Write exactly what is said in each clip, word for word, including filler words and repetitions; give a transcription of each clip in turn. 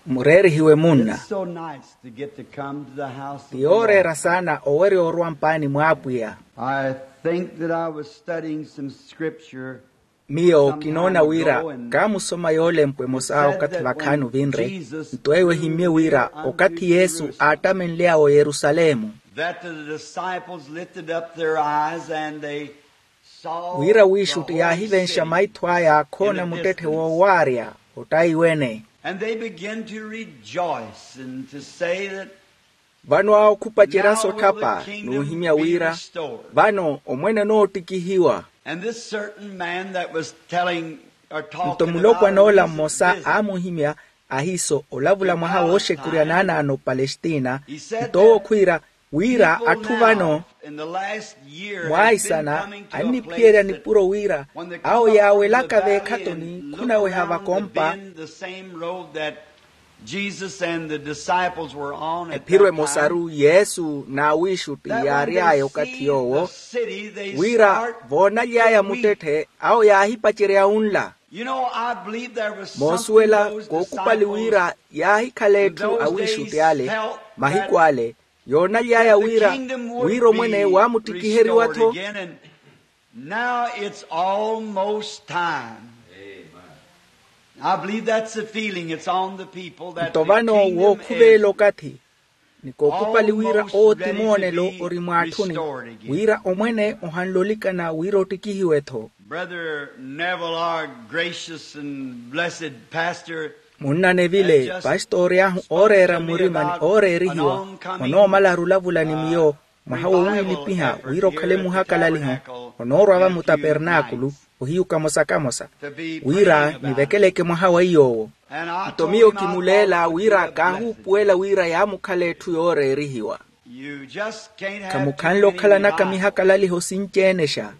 Mureerihiwe munna. Ti yooreera saana owerya orwa mpaani mw'apwiya. I think that I was studying some scripture. Miyo kinoona wira kaamusoma yoolempwe emosa okathi vakhaani ovinre. Nto eyo ehimmye wira okathi yesu aattamenly'awe oyerusalemu. That the disciples lifted up their eyes and they saw. Wira wiixutti yaahivenxa maitho aya akhoona muttetthe woowaarya ottaiwene. And they began to rejoice and to say that. Vano awo khupacerya sotthapa n'uhimya wira vano omwene onoottikihiwa. And this certain man that was telling or talking. Nto mulopwana ola mmosa aamuhimya ahiiso olavula mwaha wooxekurya naanaano opalestina. Nto owo khwiira wira atthu vano mwaisana anniphiyerya nipuro wira awo yaawelaka veekhatoni khunaweha vakompa. Ephiro emosaru yesu n'awiixutti yaary'aya okathi yoowo wira voonaly'aya muttetthe awo yaahipacerya unla. Moosuwela kookupali wira yaahikhala etthu awiixutti ale mahiku ale yoonaly'aya wira wira omwene waamuttikiheriwa-tho. Now it's almost time. I believe that's the feeling it's on the people that nto vano wookhuveela okathi ni kookupali wira owo ti moonelo ori mw'atthuni wira omwene ohanle olikana wira ottikihiwe-tho. Brother Neville, our gracious and blessed pastor. Munna nevile pastori ahu ooreera mmurimani ooreerihiwa onoomala arulavula ni miyo mwaha wowiilipiha wira okhale muhakalaliho onoorwa-va mutapernaakulu ohiyu kamosa-kamosa wira nivekeleke mwaha wa iy'owo. Nto miyo kimuleela wira kaahuupuwela wira yaamukhala etthu yooreerihiwa. Khamukhanle okhalanaka mihakalaliho sinci-enexa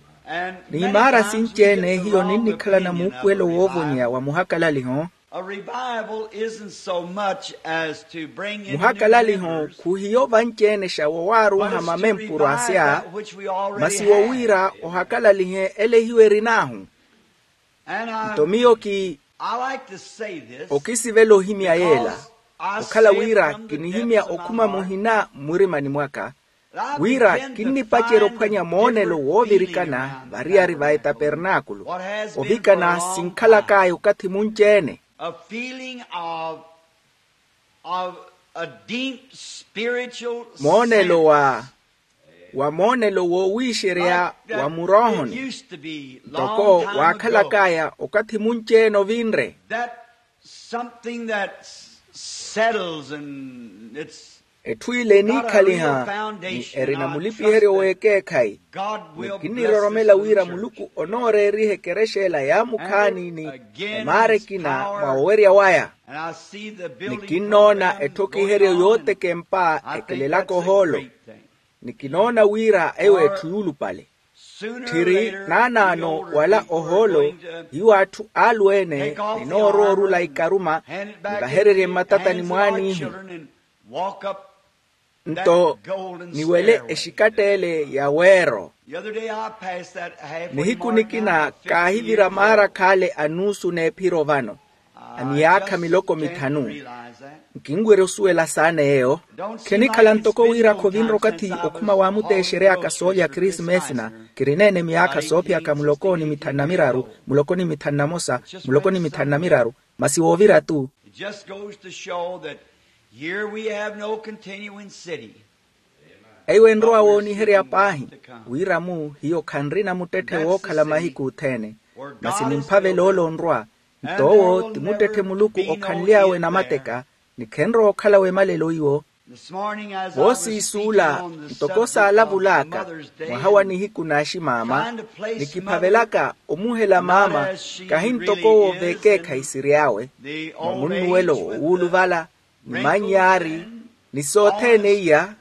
n'imaara sinci-ene hiyo ninnikhalana muupuwelo woovonyeya wa muhakalaliho. Muhakalaliho khuhiyo vanci-enexa woowaarunha mamempuro asya masi wowiira ohakalalihe ele hiyo erin'ahu. Nto miyo ki okisivela ohimya yeela okhala wira kinihimya okhuma muhina mmurimani mwaka wira kinnipacerya ophwanya moonelo woovirikana variyari va etapernaakulu ovikana sinkhalak'aya okathi munci-ene. Moonelo wa wa moonelo woowiixerya wa muroohoni ntoko waakhalak'aya okathi munci-ene ovinre. Etthu ile eniikhaliha ni erina mulipiheryo w'ekeekhayi ni kinniroromela wira muluku onooreeriha ekerexa ela yaamukhaani ni emaara ekina mwa owerya waya. Ni kinnoona etthokiheryo yootekempa ekelelaka ohoolo ni kinoona wira eyo etthu yuulupale. Tthiri naanaano wala ohoolo hiyo atthu alweene ninoorowa orula ikaruma nivahererye mmatatani mwaanihu. Nto niwele exikatt'ele ya weero. Nihiku nikina kaahivira maara khale a nuusu n'ephiro vano a miyaakha miloko mithanu. Nkinwerya osuwela saana eyo. Khenikhala ntoko wira khovinre okathi okhuma waamuteexery'aka soolya krismesina. Kirineene miyaakha soophiyaka muloko ni mithanu na miraru muloko ni mithanu na mosa muloko ni mithanu na miraru masi woovira-tu. It just goes to show that here we have no continuing city. Eyo enrowa wooniherya paahi wira-mu hiyo khanrina muttetthe wookhala mahiku othene. Masi nimphavela ole onrwa nto owo ti muttetthe muluku okhanly'awe namateka ni khenrowa okhalawe malelo iwo. Voosiisuula ntoko saalavul'aka mwaha wa nihiku n'aximaama nikiphavelaka omuhela maama kahi ntoko owo v'ekeekhayi siry'awe mwa munnuwelo woowuluvala ni manyaari ni sothene iya.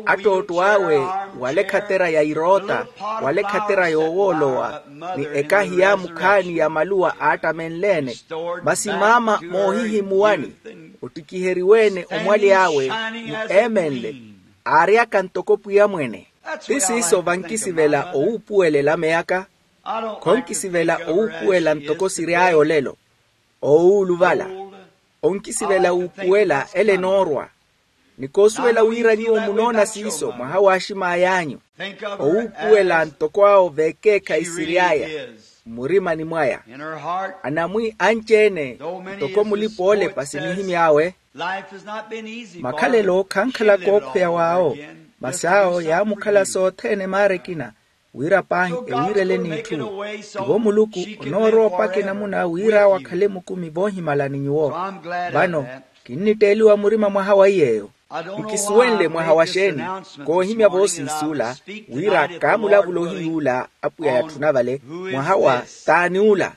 Attootto awe wala ekhatera ya iroota wala ekhatera yoowoolowa ni ekahi yaamukhaani ya maluwa aattamenle-ene. Masi maama moohihimuwani ottikiheriwe-ene omwaly'awe ni eemenle aaryaka ntoko pwiya mwene. Ti siiso vankisivela owuupuwela elameyaka. Khonkisivela owuupuwela ntoko siry'aya olelo, owuuluvala. Onkisivela wuupuwela ele enoorwa. Ni koosuwela wira nyuwo munoona siiso mwaha w'axim'ay'anyu. Owuupuwela ntoko awo v'ekeekhayi siry'aya mmurimani mwaya. Anamwi anci-ene ntoko mulipa oolepa sinihimy'awe. Makhalelo khankhala kookhweya w'awo, masi awo yaamukhala sothene maara ekina, wira paahi ewiirele n'itthu. Tivo muluku onoorowa opaka enamuna wira awo akhale mukumi voohimala ni nyuwo. Vano kinnitteeliwa murima mwaha wa iy'eyo. Nkisuwenle mwaha wa xeeni koohimya voosiis'ula, wira kaamulavula ohiy'ula apwiya yatthuna vale, mwaha wa t'ani ula.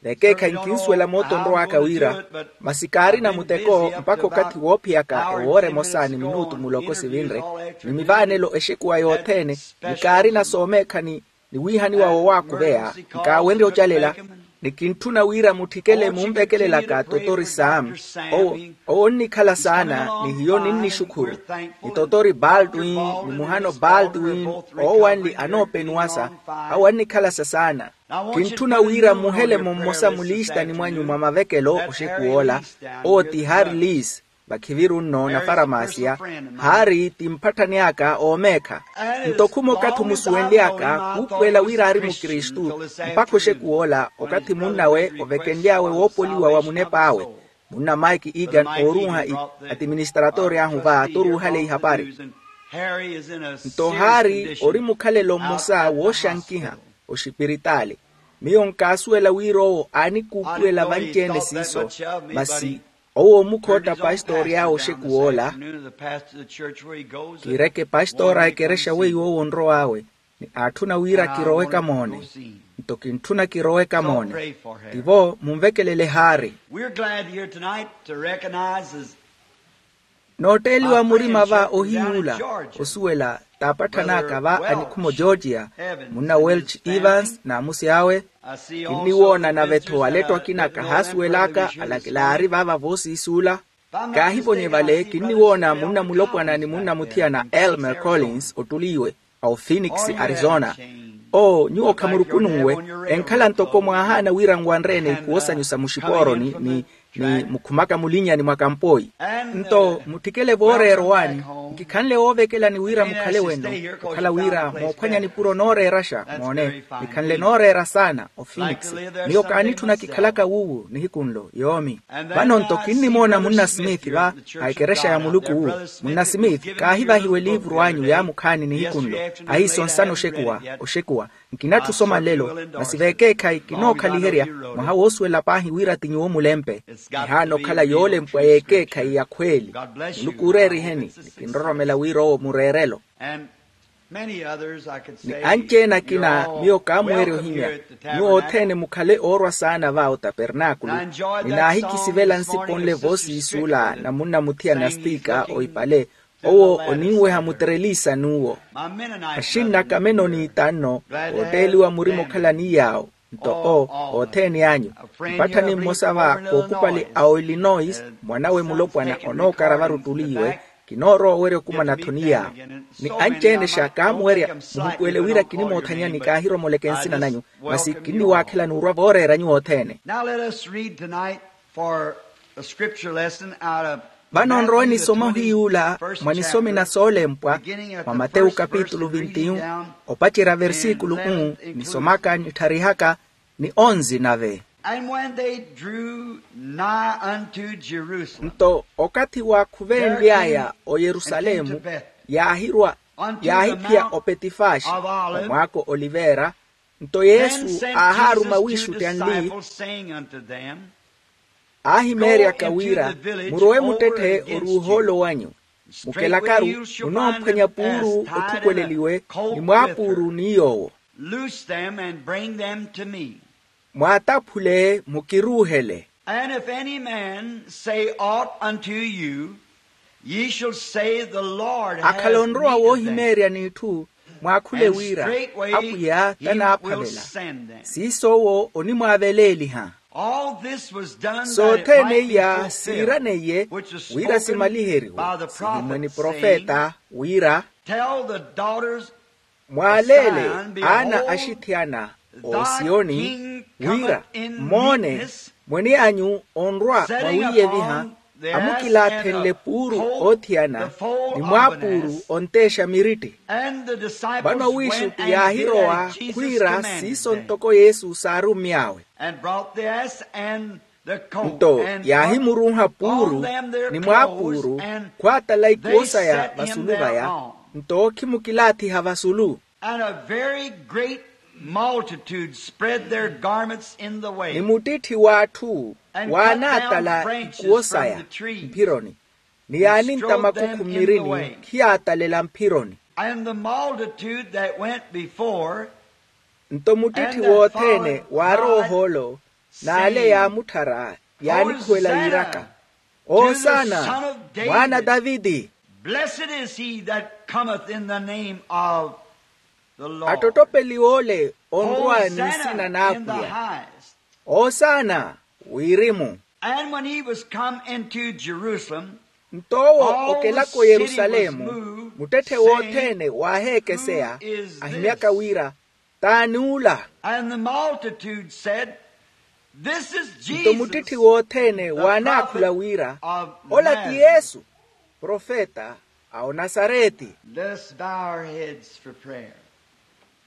Vekeekhayi nkinsuwela mootto onrow'aka wira, masi kaarina muteko mpakha okathi woophiyaka ewoora emosa ni minutu muloko sivinre, ni mivaanelo exekuwa yothene, ni kaarina soomeekhani ni wiihaniwa wowaakuveya. Nkaawenrye ocalela, ni kintthuna wira mutthikele munvekelelaka totori saamu. Owo onnikhala saana, ni hiyo ninnixukhuru. Ni totori baldwin, ni muhano baldwin, oowanli anoopenuwasa, awo annikhalasa saana. Kintthuna wira muhele mummosa mulistani mwanyu mwa mavekelo oxekuw'ola. Owo ti hari lis, vakhiviru nno na faramasiya. Hari ti mpatthani aka oomeekha. Nto khuma okathi omusuwenly'aka khuupuwela wira aari mukristu, mpakha oxekuw'ola okathi munnawe ovekenly'awe woopoliwa wa munep'awe. Munna mike egan ooruuha atiministratori ahu va toruuhale ihapari. Nto hari ori mukhalelo mmosa wooxankiha oxipiritaali. Miyo nkaasuwela wira owo aanikuupuwela vanci-ene siiso. Masi owo omukhootta pastori awe oxekuw'ola. Kiireke pastori a ekerexa weiwo owo onrow'awe, ni aatthuna wira kiroweka moone. Nto kintthuna kiroweka moone. Tivo munvekelele hari. Nootteeliwa murima va ohiy'ula osuwela t'apatthan'aka va anikhuma ogeorgia, munna welch evans n'amusi awe. Kinniwoona nave-tho aletto akina kahaasuwel'aka alakila aari vaava voosiisuula. Kaahivonye vale kinniwoona munna mulopwana ni munna muthiyana elmer collins ottuliiwe, a ophoenix arizona. Oo nyuwo khamurukununwe, enkhala ntoko mwaahaana wira nwanre-ene ikhuwo sanyu sa muxipooroni ni ni mukhumaka mulinnyani mwa kampoyi. Nto mutthikele vooreera owaani, nkikhanle woovekelani wira mukhale wenno. Okhala wira moophwanya nipuro nooreeraxa moone, nikhanle nooreera saana ophoenix. Miyo kaanitthuna kikhalaka wuuwu nihiku nlo yoomi. Vano nto kinnimoona munna smith va a ekerexa ya muluku wu. Munna smith kaahivahiwe liivuru anyu yaamukhaani nihiku nlo. Ahiisonsana oxekuwa oxekuwa. Nkinatthu osoma nlelo, masi veekeekhayi kinookhaliherya mwaha woosuwela paahi wira ti nyuwo mulempe. Kihaana okhala yoolempwa y'ekeekhayi ya khweeli. Muluku ooreeriheni ni kinroromela wira owo mureerelo. Ni anci-ene akina miyo kaamuweerya ohimya. Nyuwo othene mukhale oorwa saana va otapernaakulu. Ninaahikisivela nsipo nle voosiisuula na munna muthiyana stika oipale. Owo oninweha mutereliisa n'uwo. Axinna kamenoni tanno ootteeliwa murima okhalani yaawo. Nto o othene anyu mpatthani mmosa va kookupali a oilinois mwanawe mulopwana onookara varuttuliiwe. Kinoorowa owerya okumana-tho ni yaawo. Ni anci-enexa kaamuwerya muhupuwele wira kinimoothanyani kaahiromoleke nsina nanyu. Masi kinniwaakhelani orwa vooreera nyuwo othene. Vano nrowe nisoma ohiy'ula mwa nisomi na soolempwa mwa matewu kapitulu vinti-yu opacerya versikulu unu nisomaka nittharihaka ni onzi nave. And when they drew nigh unto Jerusalem, nto okathi waakhuvenly'aya oyerusalemu yaahirwa yaahiphiya opetifaxi omwaako olivera. Nto yesu aahaaruma wiixutti anli, aahimeeryaka wira, murowe muttetthe oruuha ole wanyu, mukelakaru munoomphwanya puuru otthukweleliwe ni mwaapuuru ni yoowo. Loose them and bring them to me. Mwaataphule mukiruuhele. And if any man say aught unto you, ye shall say, the Lord has need of them. Akhala onrowa woohimeerya n'itthu, mwaakhule wira, apwiya tanaaphavela. Siiso owo onimwaaveleeliha. Sothene iya siiraneiye wira simaliheriwe sihimwe ni profeta wira, tell the daughters Mwaaleele aana axithiyana, osiyoni, wira, moone, mwene anyu onrwa mwawiiyeviha, amukilaathenle puuru oothiyana, ni mwaapuuru onteexa miritti. Vano awiixutti yaahirowa khwiira siiso ntoko yesu saarummy'awe. Nto yaahimuruuha puuru ni mwaapuuru, khwaatala ikuwo saya vasulu vaya. Nto ookhimukilaathiha vasulu. And a very great multitude spread their garments in the way. Ni muttitthi w'atthu waanaatala ikuwo saya mphironi, ni yaanintta makukhummirini khiyaatalela mphironi. And the multitude that went before. Nto muttitthi wothene waarowa ohoolo n'ale yaamutthara, yaanikhuwela yiiraka, oosana, mwaana a taviti. Blessed is he that cometh in the name of the Lord. Attottopeliwa ole onrwa ni nsina n'apwiya. Oosana, wirimu. And when he was come into Jerusalem, nto owo okelaka oyerusalemu, muttetthe wothene waaheekeseya, ahimyaka wira, t'ani ula? And the multitude said, this is Jesus. Nto muttitthi wothene waanaakhula wira, ola ti yesu, profeta a onasareti. Let us bow our heads for prayer.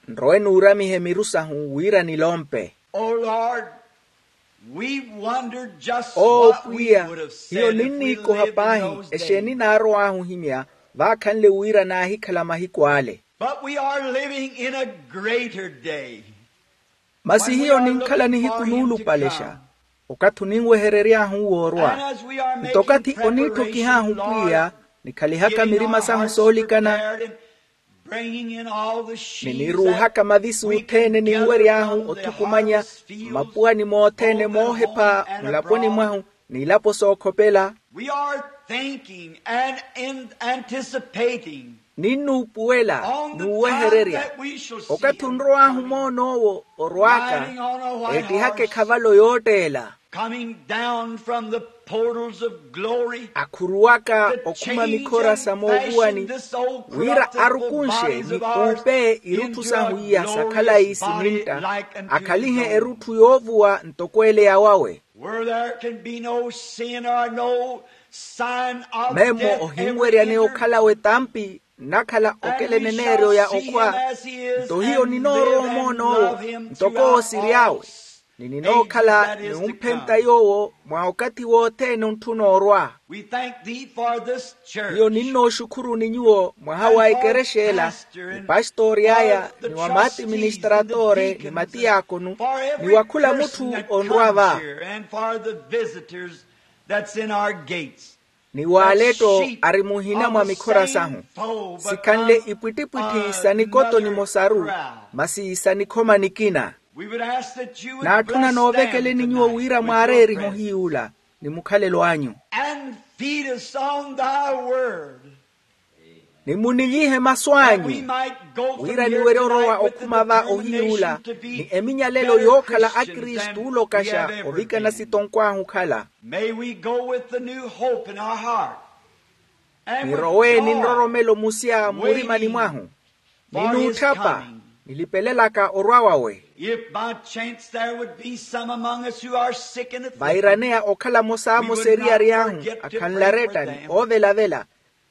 Nrowe nuuramihe miru sahu wira nilompe. O lord, we wondered just what we would have said if we lived in those days. Oo pwiya, hiyo ninniikoha paahi exeeni naarow'ahu ohimya, vaakhanle wira naahikhala mahiku ale. But we are living in a greater day. Masi hiyo ninkhala nihiku nuulupalexa, okathi oninweherery'ahu woorwa. Nto okathi oniitthokih'ahu pwiya, nikhalihaka mirima sahu soolikana, ni niruuhaka mavisi othene ninwery'ahu othukumanya mmapuwani mothene moohepha mulaponi mwahu, n'ilapo sookhopela. We are thinking and anticipating. Ninnuupuwela n'uwehererya okathi onrow'ahu moon'owo orw'aka, eettihaka ekhavalo yootteela, coming down from the portals of glory, akhuruwaka okhuma mikhora sa moovuwani, wira arukunxe ni uupe irutthu sahu iya sa khalayi sinintta, akhalihe erutthu yoovuwa ntoko ele ya wawe. Where there can be no sin or no sign of death. Memmo ohinweryaneya okhala w'etampi, nnakhala okela eneneeryo ya okhwa. Nto hiyo ninoorowa omoon'owo ntoko owo siry'awe, ni ninookhala niwumphenta yoowo mwa okathi wothene ontthuna orwa. We thank thee for this church. Hiyo ninnooxukhuruni nyuwo mwaha wa ekerexa ela, ni pastori aya ni wa maatiministratore ni matiyaakonu, ni wa khula mutthu onrwa va. And for the visitors that's in our gates. Ni waaletto ari muhina mwa mikhora sahu, sikhanle ipwittipwitthi sa nikoto nimosaru, masi sa nikhoma nikina. Naatthuna noovekeleni nyuwo wira mwaareerihe ohiy'ula ni mukhalelo anyu. And feed us on thy word. Ni munilyihe masu anyu, wira niwerye orowa okhuma va ohiy'ula ni eminyalelo yookhala akristu ookaxa ovikana sitonkw'ahu okhala. May we go with the new hope in our heart. Nirowe ni nroromelo musya mmurimani mwahu, ni nuutthapa, nilipelelaka orwa wawe. If by chance there would be some among us who are sick in the faith, vairaneya okhala mosaamosa eriyari ahu akhanlaretta ni oovelavela.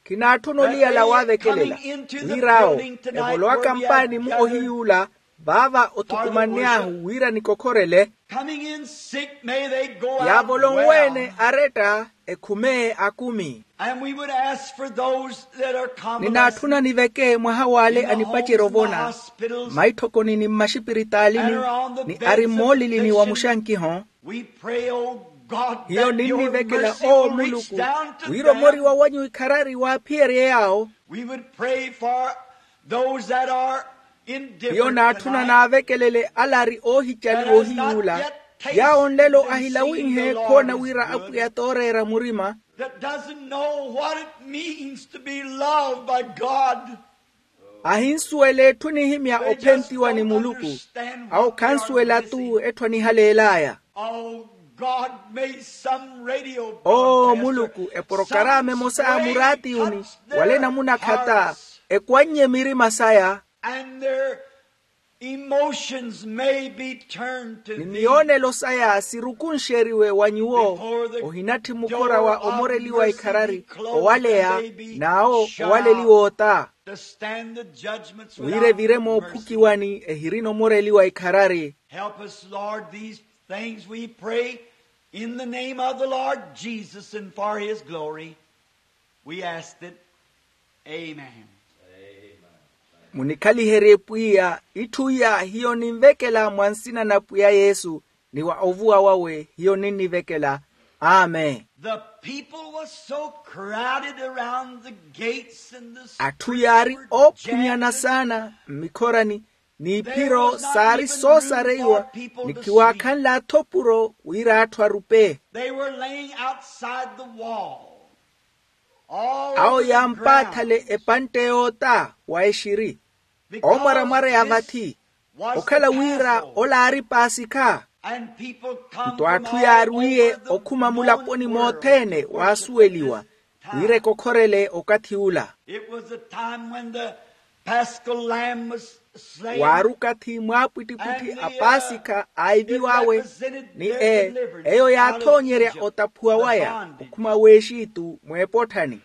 Khinaatthuna oliyala waavekelela wira awo evolowaka mpaani-mu ohiy'ula, vaava othukumanny'ahu wira nikokhorele. Yaavolonwe-ene aretta, ekhume akumi. Ninaatthuna niveke mwaha w'ale anipacerya ovona mmaitthokoni ni mmaxipiritaalini, ni ari mmoolilini wa muxankiho. Hiyo ninnivekela oo muluku, wira omoriwa wanyu ikharari waaphiyerye yaawo. Hiyo naatthuna naavekelele ale ari oohicaliwa ohiy'ula, yaawo nlelo ahilawinhe khoona wira apwiya t'oreera murima. Ahinsuwela etthu nihimya ophentiwa ni muluku. Awo khansuwela-tu etthu anihaleel'aya. Oo muluku, eporokarama emosa a muraatiyuni wala enamunakhata ekwannye mirima saya. And their emotions may be turned to ni thee. Miyoonelo saya sirukunxeriwe wa nyuwo, ohinatthi mukhora wa omoreliwa ikharari owaleya, n'awo owaleliwa ota. To stand the judgments wira evire moophukiwani ehirina omoreliwa ikharari. Help us, Lord, these things we pray in the name of the Lord Jesus and for his glory. We ask it. Amen. Munikhaliherye pwiya, itthu iya hiyo ninvekela mwa nsina na pwiya yesu, ni wa ovuwa wawe hiyo ninnivekela. Amen. The people was so crowded around the gates and the atthu yaari oophunyana saana mmikhorani, n'iphiro saari soosareiwa, ni kiwaakhanle athopuro wira atthu arupe. They were laying outside the wall. Awo yaampaathale epantte yoota wa exiri. Omwaramwara ya vathi okhala wira ola aari paasikha. Nto atthu yaarwiye okhuma mulaponi mothene waasuweliwa wira ekokhorele okathi ula. Waari okathi mwaapwittipwitthi a paasikha aiviw'awe, ni e eyo yaathoonyerya otaphuwa waya okhuma w'exitu mw'epotthani.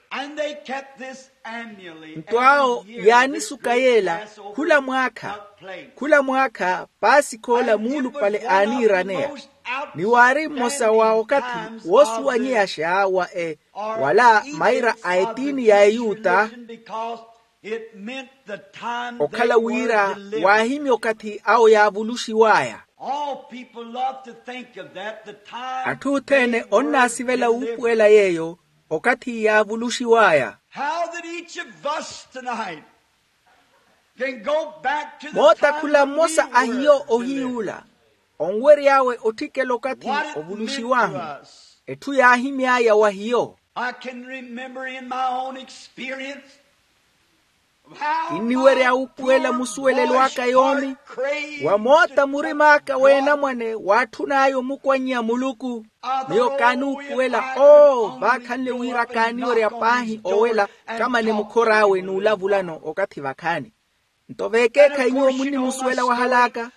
Nto awo yaanisuka yeela khula mwaakha khula mwaakha paasikha ola muulupale aaniiraneya. Ni waari mmosa wa okathi woosuwanyeyaxa wa e wala maira a etiini ya eyuta. Okhala wira waahimya okathi awo yaavuluxiw'aya. Atthu othene onnaasivela wuupuwela yeeyo okathi yaavuluxiw'aya. How that each of us tonight can go back to the moota khula mmosa a hiyo ohiyuula onwery'awe otthikela okathi ovuluxiw'ahu. Etthu yaahimy'aya wa hiyo. I can remember in my own experience. Kinniwerya wuupuwela musuwelelo aka yoomi wa moota murim'aka w'enamwane waatthun'aya omukwannya muluku. Miyo kaanuupuwela oo vaakhanle wira kaaniwerya paahi owela kamane mukhor'awe n'ulavulano okathi vakhaani. Nto veekeekhayi nyuwo munnimusuwela wahal'aka.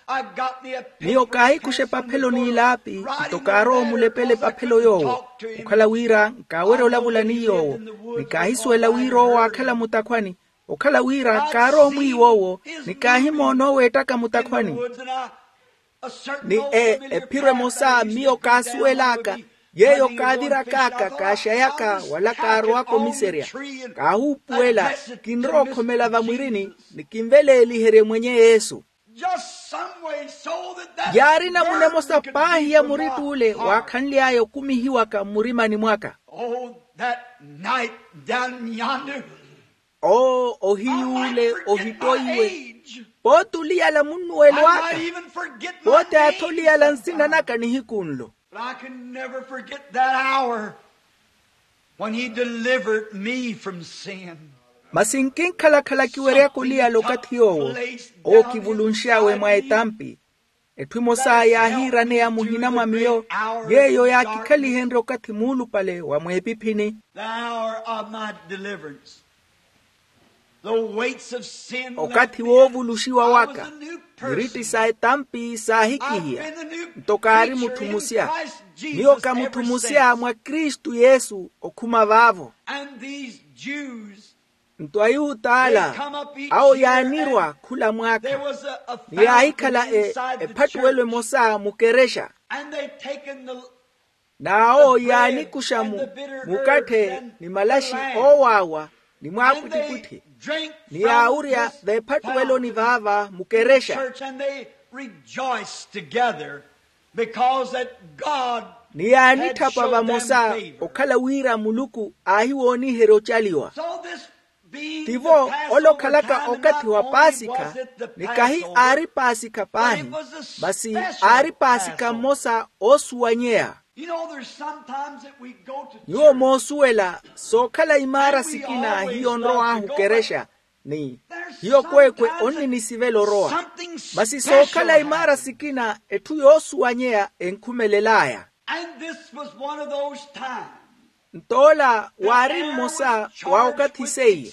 Miyo kaahikuxa epaphelo n'ilaapi nto kaarowa omulepela epaphelo yoowo okhala wira nkaawerya olavula ni yoowo. Ni kaahisuwela wira owo aakhala mutakhwani okhala wira kaarowa omwiiwa owo ni kaahimoona owo eettaka mutakhwani. Ni e ephiro emosa miyo kaasuwel'aka yeeyo kaaviraka aka kaaxayaka wala kaarowaka omiserya. Kaahuupuwela kinrowa okhomela vamwirini ni kinveleeliherye mwenye yesu. Yaari namuna emosa paahi ya muritt'ule waakhanly'aya okumihiwaka mmurimani mwaka. Oo ohiy'ule ohittoiwe. Pooti oliyala munnuwelo aka pooti aatha oliyala nsina naka nihiku nlo. But I can never forget that hour when he delivered me from sin. Masi nkinkhalakhala kiweryaka oliyala okathi yoowo owo kivulunx'awe mwa etampi. Etthu emosa yaahiiraneya muhina mwa miyo yeeyo yaakikhalihenrye okathi muulupale wa mweepiphini. The hour of my deliverance. Okathi woovuluxiwa waka miritti sa etampi saahikihiya. Nto kaari mutthu musya miyo ka mutthu musya mwa kristu yesu okhuma vaavo. Nto ayuta ala awo yaanirwa khula mwaakha ni yaahikhala ephattuwelo emosa mukerexa. N'awo yaanikuxa mukatthe ni malaxi oowaawa ni mwaapwittipwitthi ni yaawurya veephattuweloni vaava mukerexa. Ni yaanitthapa vamosa okhala wira muluku aahiwooniherya ocaliwa. Tivo ole okhalaka okathi wa paasikha ni kahi aari paasikha paahi masi aari paasikha mmosa oosuwanyeya. Nyuwo moosuwela sookhala imaara sikina hiyo onrow'ahu okerexa ni hiyo kweekwe onninisivela orowa. Masi sookhala imaara sikina etthu yoosuwanyeya enkhumelel'aya. And this was one of those times Nto ola waari mmosa wa okathi seiye.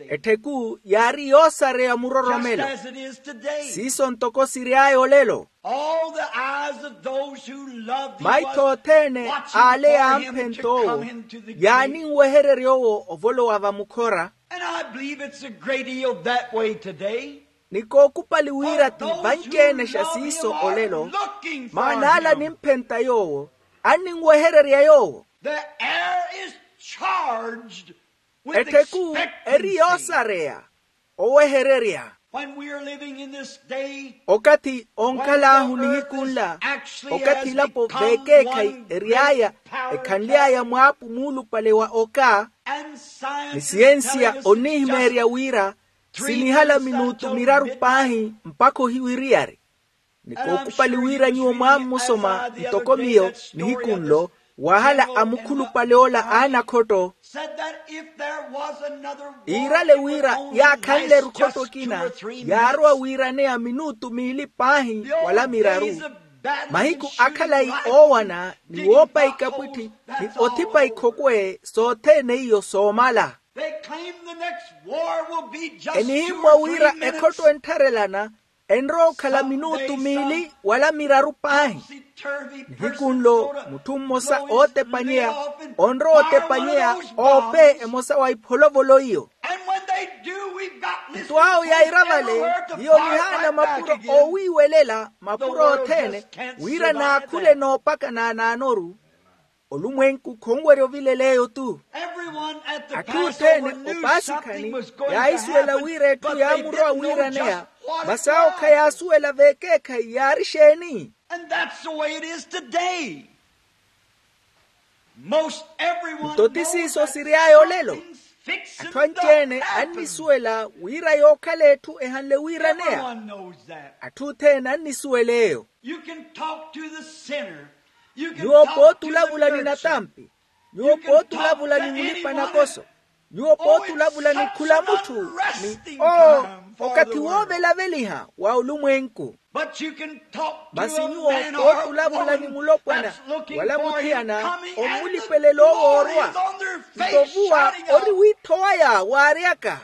Ettheku yaari yoosareya muroromelo. Siiso ntoko siry'aya olelo. Maitho othene ale yaamphenta owo yaaninwehererya owo ovolowa vamukhora. Ni kookupali wira ti vanci-enexa siiso olelo. Maana ala nimphenta yoowo anninwehererya yoowo. Ettheku eri yoosareya owehererya. Okathi onkhal'ahu nihiku nla, okathi elapo veekeekhayi ery'aya ekhanly'aya mwaapu muulupale wa oka, ni siyensiya onnihimeerya wira sinihala minutu miraru paahi mpakha ohiwiriyari. Ni kookupali wira nyuwo mwammusoma ntoko miyo nihiku nlo, wahala a mukhulupale ola a anakhotto iirale wira yaakhanle-ru khotto ekina yaarowa wiiraneya minutu miili paahi wala miraru. Mahiku a khalayi oowana ni woopa ikapwitthi ni othipa ikhokwe sothene iyo soomala. Enihimmwa wira ekhotto enttharelana enrowa okhala minutu miili wala miraru paahi. Nihiku nlo mutthu mmosa ootepanyeya onrowa otepanyeya oope emosa wa ipholovolo iyo. Nto awo yaira vale hiyo nihaana mapuro oowiiwelela mapuro othene wira naakhule noopaka naanaanoru. Olumwenku khonwerya ovilela eyo-tu. Atthu othene opaasikhani yaahisuwela wira etthu yaamurowa wiiraneya. Masi awo khayaasuwela veekeekhayi yaari exeeni? Nto ti siiso siry'aya olelo. Atthu anci-ene annisuwela wira yookhala etthu ehanle wiiraneya. Atthu othene annisuwela eyo. Nyuwo pooti olavula ni natampi. Nyuwo pooti olavula ni mulipa-nakoso. Nyuwo pooti olavula ni khula mutthu. Ni oo okathi woovelaveliha wa olumwenku. Masi nyuwo pooti olavula ni mulopwana wala muthiyana ommulipelela owoorwa. Nto vuwa ori wiittho waya waaryaka.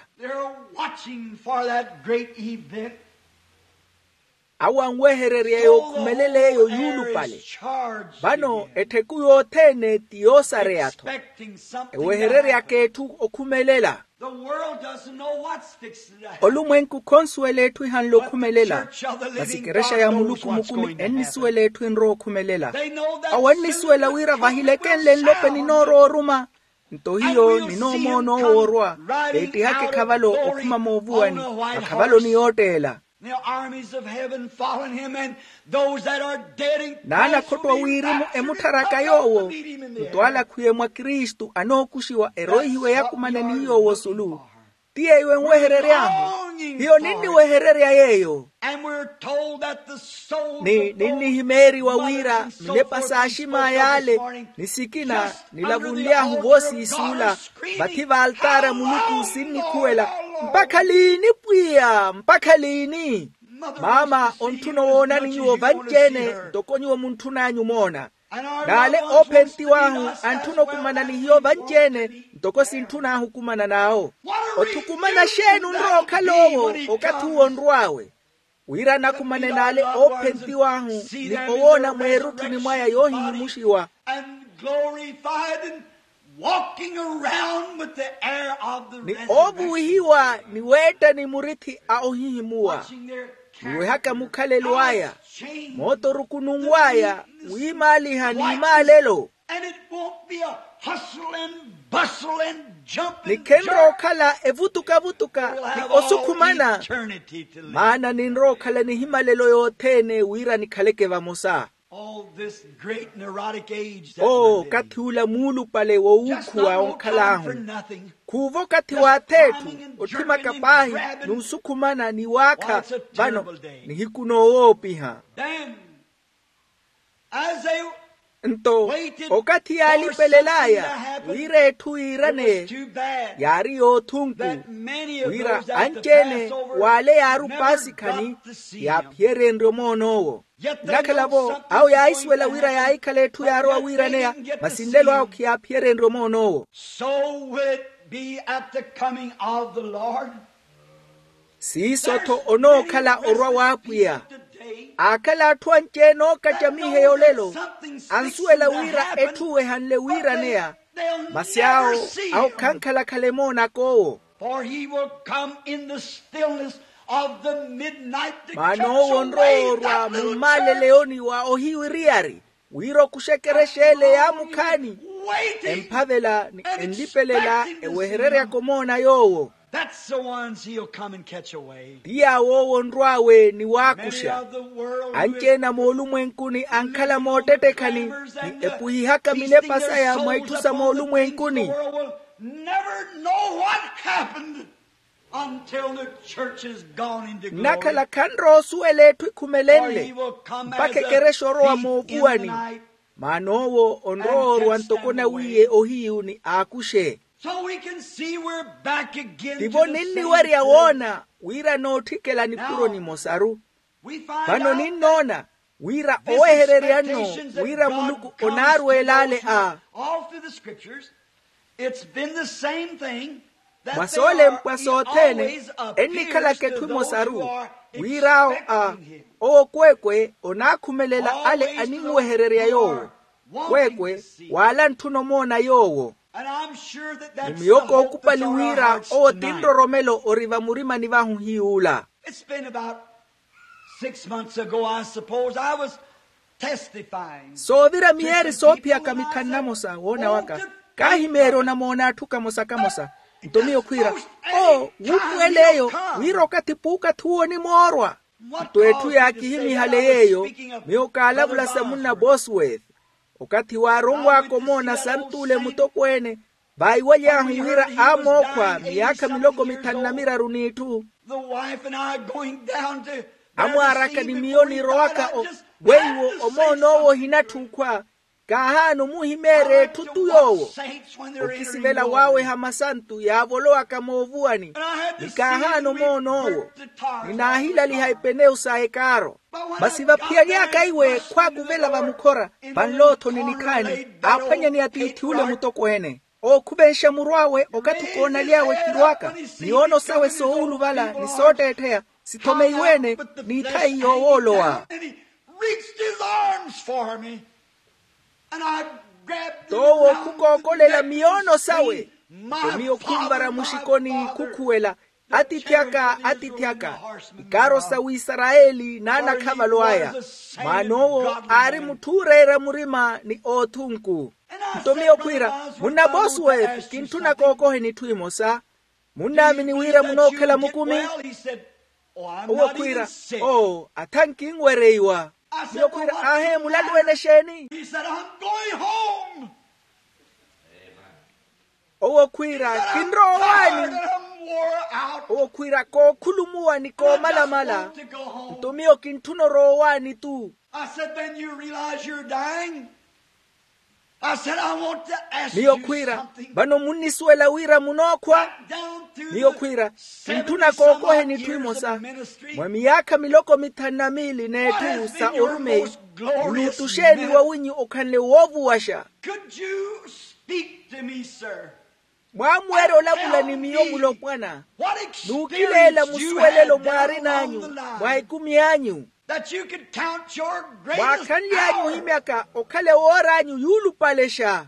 Awo anwehererya yookhumelela eyo yuulupale. Vano ettheku yothene ti yoosareya-tho. Ewehereryaka etthu okhumelela. Olumwenku khonsuwela etthu ehanle okhumelela. Masi ekerexa ya muluku mukumi ennisuwela etthu enrowa okhumelela. Awo ennisuwela wira vahilekenle nlope ninoorowa oruma. Nto hiyo ninoomoona owoorwa veettihaka ekhavalo okhuma moovuwani. Akhavalo ni yootteela. N'anakhotto a wirimu emuttharaka yoowo. Nto ala akhwiye mwa kristu anookuxiwa eroihiwe yakumane ni yoowo osulu. Ti yeeyo enweherery'ahu. Hiyo ninniwehererya yeeyo. Ni ninnihimeeriwa wira minepa s'axim'aya ale ni sikina nilavunly'ahu voosiisuula vathi vaaltaari a muluku sinnikhuwela. Mpakha liini pwiya mpakha liini? Maama ontthuna owoonani nyuwo vanci-ene ntoko nyuwo muntthun'anyu omoona. N'ale oophentiw'ahu antthuna okumana ni hiyo vanci-ene ntoko sintthun'ahu okumana n'awo. Othukumana xeeni onrowa okhala owo okathi uwo onrw'awe? Wira anakumane n'ale oophentiw'ahu ni owoona mweerutthuni mwaya yoohihimuxiwa. Ni oovuwihiwa ni weettani murithi a ohihimuwa. Ni wehaka mukhalelo aya mooto orukununw'aya wiimaaliha n'imaalelo. Ni khenrowa okhala evutukavutuka ni osukhumana. Maana ninrowa okhala nihimalelo yothene wira nikhaleke vamosa. Oo okathi ula muulupale wowuukhuwa onkhal'ahu. Khuuva okathi w'ath'etthu otthimaka paahi n'usukhumana ni waakha. Vano nihiku noowoopiha. Nto okathi yaalipelel'aya wira etthu yiiraneye yaari yoothunku, wira anci-ene w'ale yaari opaasikhani yaaphiyerenrye omoon'owo. Nnakhala-vo awo yaahisuwela wira yaahikhala etthu yaarowa wiiraneya, masi nlelo awo khiyaaphiyerenrye omoon'owo. So will it be at the coming of the Lord. Siiso-tho onookhala orwa w'apwiya. Aakhala atthu anci-ene ookacamiheya olelo ansuwela wira etthu ehanle wiiraneya, masi awo awo khankhalakhala emoonak'owo. For he will come in the stillness of the midnight to catch away that little church. Maana owo onrowa orwa mummaleleyoni wa ohiwiriyari wira okuxa ekerexa ele yaamukhaani, emphavela ni enlipelela ewehereryaka omoona yoowo. That's the ones he'll come and catch away. Ti yaaw'owo onrw'awe ni waakuxa. Anci-ene a moolumwenkuni ankhala moottettekhani ni epwihihaka minepa saya mwa itthu sa moolumwenkuni. Never know what happened until the church is gone into glory. Nnakhala khanrowa osuwela etthu ekhumelenle mpakha ekerexa orowa moovuwani. Maana owo onrowa orwa ntoko nawiiye ohiyu ni aakuxe. So we can see we're back again to the same thing. Tivo ninniwerya woona wira nootthikela nipuro nimosaru. Vano ninnoona wira owehererya-no wira muluku onaarweela ale a. Mwa soolempwa sothene ennikhalaka etthu emosaru wira awo a owo kweekwe onaakhumelela ale animuwehererya yoowo. Kweekwe waala ntthuna omoona yoowo. Ni miyo kookupali wira owo ti nroromelo ori vamurimani vahu hiy'ula. It's been about six months ago, I suppose, I was testifying. Soovira miyeeri soophiyaka mithanu namosa woona waka kaahimeerya onamoona atthu kamosa kamosa. Nto miyo khwiira o wuupuwel'eyo wira okathi puukathi uwo onimoorwa. Nto etthu yaakihimihale yeeyo miyo kaalavula sa munna bosworth. Okathi waaronwaaka omoona sant'ule mutokweene vaiwaly'ahu wira aamookhwa miyaakha miloko mithanu na miraru n'itthu. Amwaaraka ni miyo nirowaka weiwo omoon'owo ohinatthuukhwa. Kaahaana omuhimeerya etthu tu yoowo okisivela waaweha masantu yaavolowaka moovuwani. Ni kaahaana omoon'owo ninaahilaliha epenewu sa ekaaro. Masi vaphiyaly'aka iwe khwaakuvela vamukhora vanloothoni nikhaani aaphwanya ni atiithi ule mutokweene ookhuvenxa muru awe okathi koonaly'awe kirwaka. Miyoono sawe soowuluvala ni sootteettheya sithomeiwe-ene n'ithayi yoowoolowa. T'owo khukookolela miyoono sawe nto miyo khunvara muxikoni khukhuwela atiithi aka atiithi aka ikaaro sa wisarayeli n'anakhavalo aya. Maana owo aari mutthu ooreera murima ni oothunku. Nto miyo khwiira munna bosworth kintthuna kookoheni itthu imosa. Munnaamini wira munookhala mukumi? Owo khwiira oo atha nkinwereiwa. Miyo khwiira aahe mulaluwene exeeni? Owo khwiira kinrowa owaani. Owo khwiira kookhulumuwa ni koomalamala. Nto miyo kintthuna orowa owaani tu. Miyo khwiira vano munnisuwela wira munookhwa? Miyo khwiira kintthuna kookoheni itthu imosa. Mwa miyaakha miloko mithanu na miili n'etthu sa orumeyi munuutuxeeni wawinyu okhanle woovuwaxa. Mwaamuwerya olavula ni miyo mulopwana. Nuukileela musuwelelo mwaarin'anyu mwa ekumi anyu mwaakhanly'anyu ohimyaka okhale woor'anyu yuulupalexa.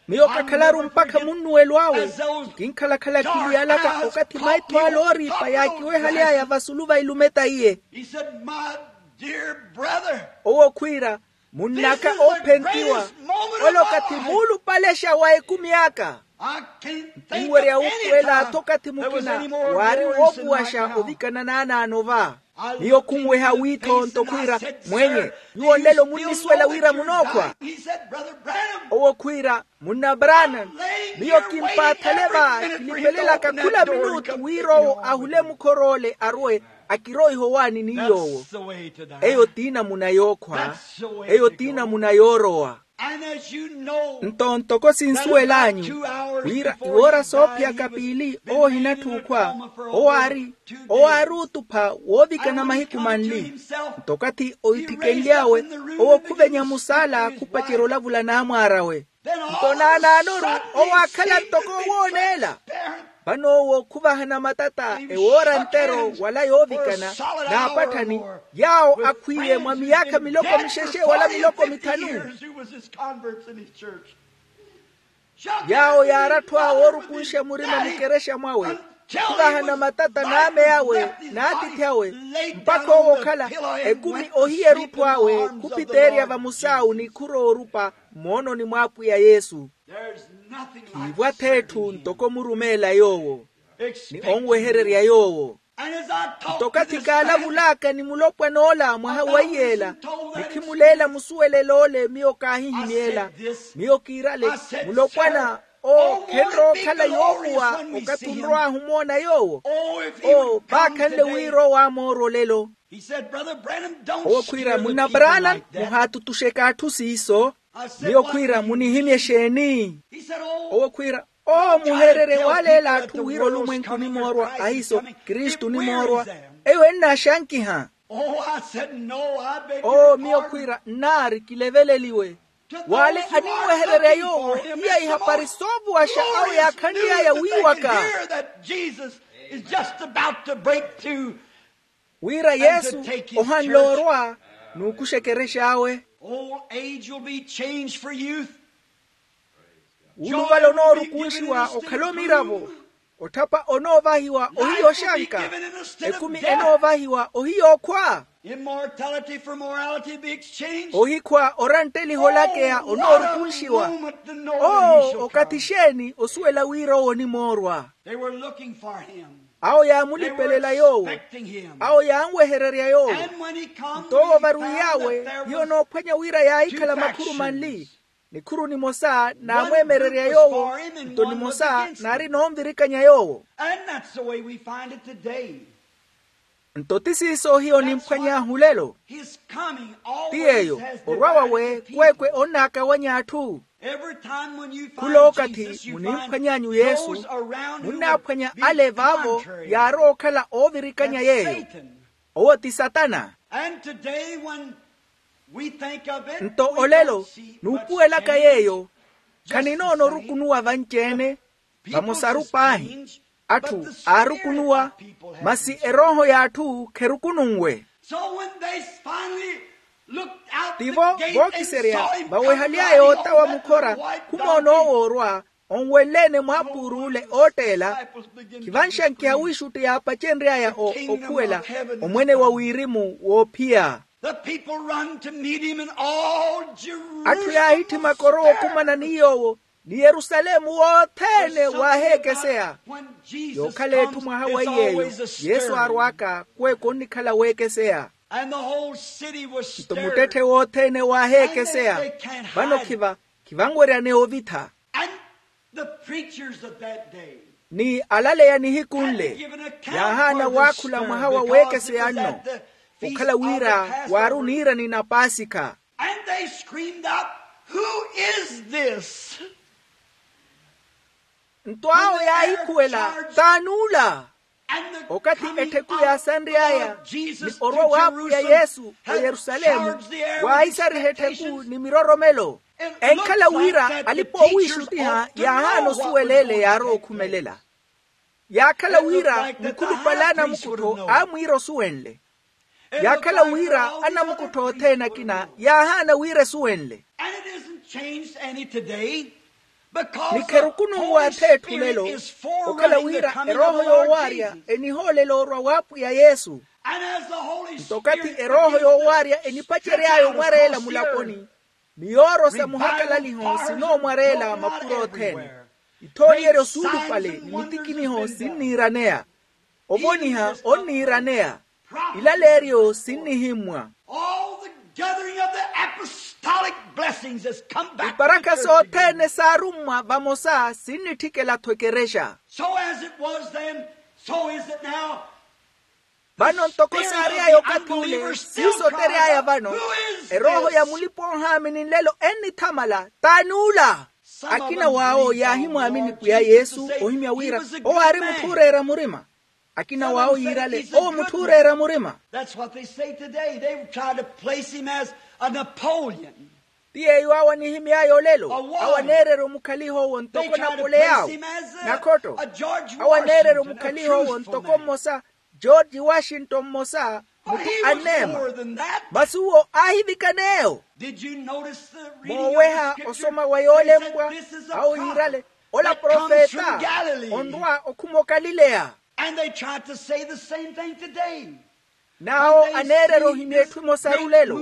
Miyo kakhalaru mpakha munnuwelo awe. Kinkhalakhala khiliyalaka okathi maitho ale ooriipa yaakiwehaly'aya vasulu va ilumeta iye. Owo khwiira munn'aka oophentiwa ole okathi muulupalexa wa ekumi aka. Nkinwerya wuupuwela atho okathi mukina waari woovuwaxa ovikana n'anaano va. Miyo khunweha wiitho nto khwiira, mwenye, nyuwo nlelo munnisuwela wira munookhwa? Owo khwiira, munna branam, miyo kimpaathale va, kinipelelaka khula minutu wira owo ahule mukhor'ole arwe, akiroiha owaani ni yoowo. Eyo t'inamuna yookhwa. Eyo t'inamuna yoorowa. Nto ntoko sinsuwel'anyu, wira iwoora soophiyaka piili owo ohinatthuukhwa, owo aari, owo aari otupha woovikana mahiku manli. Nto okathi oithikenly'awe, owo khuvenya musaala khupacerya olavula n'amwaar'awe. Nto naanaanoru, owo aakhala ntoko owooneela. Vano owo khuvahana matata ewoora ntero wala yoovikana, n'apatthani, yaawo akhwiiye mwa miyaakha miloko mixexe wala miloko mithanu. Yaawo yaaratthu awo oorukunxa murima mukerexa mwawe, khuvahana matata n'amey'awe n'atiithi awe, mpakha owo okhala ekumi ohiya erutthu awe, khuphiteerya vamusaawu ni khurowa orupa mmoononi mw'apwiya yesu. Khiivwa-tho etthu ntoko murumeela yoowo, ni onwehererya yoowo. Nto okathi kaalavul'aka ni mulopwan'ola mwaha wa iyeela, ni khimuleela musuwelel'ole miyo kaahihimyeela. Miyo kiirale, mulopwana, oo khenrowa okhala yoovuwa. Okathi onrow'ahu omoona yoowo, oo vaakhanle wira owo amoora olelo. Owo khwiira, munna branam, muhaatutuxeke atthu siiso. Miyo khwiira, munihimye exeeni? Owo khwiira, oo muheererye waaleela atthu wira olumwenku onimoorwa ahiiso, kristu onimoorwa. Eyo ennaaxankiha. Oo miyo khwiira, nnaari kileveleliwe. W'ale aninwehererya yoowo, hiya ihapari soovuwaxa awo yaakhanly'aya wiiwaka, wira yesu ohanle orwa n'ukuxa ekerex'awe. Old age will be changed for youth. Wuluvala onoorukunxiwa okhala omiravo. Otthapa onoovahiwa ohiya oxanka. Ekumi enoovahiwa ohiya okhwa. Immortality for morality be exchanged. Ohikhwa orantteliha olakeya onoorukunxiwa. Oo okathi xeeni osuwela wira owo onimoorwa? They were looking for him. Awo yaamulipelela yoowo. Awo yaanwehererya yoowo. Nto owo varwiy'awe, hiyo onoophwanya wira yaahikhala makhuru manli. Nikhuru nimosa naamweemererya yoowo, nto nimosa naari noonvirikanya yoowo. Nto ti siiso hiyo onimphwany'ahu lelo. Ti yeeyo, orwa wawe kweekwe onnaakawanya atthu. Khula okathi munimphwany'anyu yesu, munnaaphwanya ale vaavo yaarowa okhala oovirikanya yeeyo. Owo ti satana. Nto olelo nuupuwelaka yeeyo, khaninoona orukunuwa vanci-ene. Vamosaru paahi atthu aarukunuwa, masi erooho y'atthu kherukununwe. Tivo vookiserya vawehaly'aya otawa mukhora, khumoona owo orwa onwenle-ene mwaapuur'ule ootteela. Khivanxankiha wiixutti yaapacenry'aya okhuwela omwene wa wirimu woophiya. Atthu yaahitthimaka orowa okumana ni yoowo, ni yerusalemu wothene waaheekeseya. Yookhala etthu mwaha wa iyeeyo yesu aarw'aka kweekwe onnikhala weekeseya. Nto muttetthe wothene waaheekeseya. Vano khiva khivanweryaneya ovitha. Ni alaleya nihiku nle yaahaana waakhula mwaha wa weekeseya nno, okhala wira waari oniirani na paasikha. Nto awo yaahikhuwela, t'ani ula? Okathi ettheku yaasanry'aya ni orwa w'apwiya yesu oyerusalemu, waahisariha ettheku ni miroromelo. Enkhala wira alipa-oowiixuttiha yaahaana osuwela ele yaarowa okhumelela. Yaakhala wira mukhulupale a namukuttho aamwiira osuwenle. Yaakhala wira anamukuttho othene akina yaahaana wira esuwenle. Ni kherukununwa ath'etthu lelo, okhala wira erooho yoowaarya enihoolela orwa w'apwiya yesu. Nto okathi erooho yoowaarya enipacery'aya omwareela mulaponi, ni yoorosa muhakalaliho sinoomwareela mapuro othene. Ithoonyeryo suulupale ni mitikiniho sinniiraneya. Ovoniha onniiraneya. Ilaleeryo sinnihimmwa. All the gathering of the apostolic blessings has come back to the church again. Iparaka sothene saarummwa vamosa sinnitthikela-tho ekerexa. So as it was then, so is it now. Vano ntoko saary'aya okathi ule siiso otery'aya vano. Erooho ya mulipa-oohaamini nlelo ennithamala t'ani ula? Akina w'awo yaahimwaamini pwiya yesu ohimya wira owo aari mutthu ooreera murima. Akina w'awo yiirale owo mutthu ooreera murima. That's what they say today. They try to place him as a Napoleon. Ti yeeyo awo anihimy'aya olelo. Awo aneererya omukhaliha owo ntoko napole yaawo. Nakhotto awo aneererya omukhaliha owo ntoko mmosa, george washington mmosa, mutthu anneema. Masi uwo aahivikana eyo. Mooweha osoma wa yoolempwa awo yiirale ola profeta onrwa okhuma okalileya. And they try to say the same thing today. N'awo aneererya ohimya etthu emosaru lelo.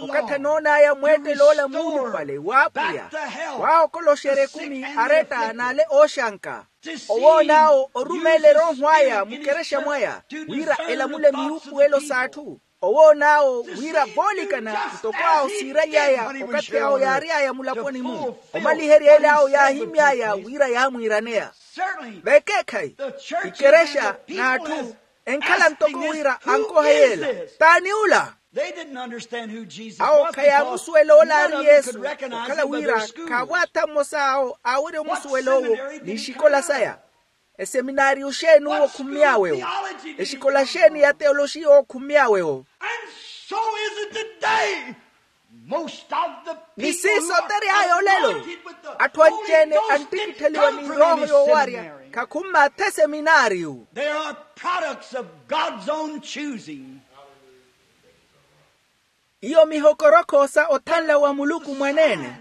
Okathi anoon'aya mweettelo ola muulupale w'apwiya waahokoloxerya ekumi aretta n'ale ooxanka. Owoon'awo orumeela erooho aya mukerexa mwaya wira elamule miyuupuwelo s'atthu. Owoon'awo wira voolikana ntoko awo siirery'aya okathi awo yaary'aya mulaponi-mu. Omaliherya ele awo yaahimy'aya wira yaamwiiraneya. Vekeekhayi ikerexa n'atthu enkhala ntoko wira ankoha yeela. T'ani ula? Awo khayaamusuwela ola aari yesu okhala wira khaavo atha mmosa awo aawerya omusuwela owo n'ixikola saya. Eseminaariyo xeeni owo okhummy'awe-wo? Exikola xeeni ya teoloxiya owo okhummy'awe-wo? Ni siiso otery'aya olelo atthu anci-ene anttikittheliwa ni erooho yoowarya khakhummaatha eseminaariyo. They are products of god's own choosing. Iyo mihokorokho sa othanla wa muluku mwaneene.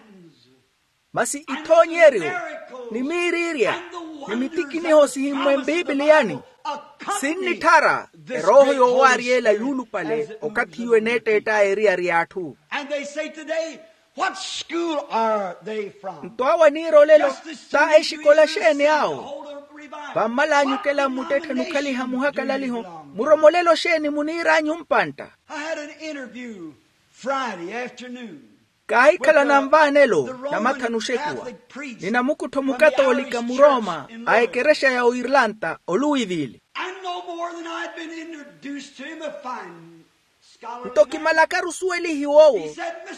Masi ithoonyeryo ni miiriirya ni mitikiniho sihimmwe mpipiliyani sinnitthara erooho yoowaaryeela yuulupale okathi iwe neetteett'aya eriyari y'atthu. And they say today, what school are they from? Nto awo aniira olelo ta exikola xeeni awo? Vammal'anyu okela mmuttetthe nukhaliha muhakalaliho muromo olelo xeeni muniir'anyu mpantta? I had an interview Friday afternoon. Kaahikhala nanvaanelo namathanu oxekuwa ni namukuttho mukatoolika murooma a ekerexa ya oirlanta oluwivili. Nto kimalakaru osuwelihiwa owo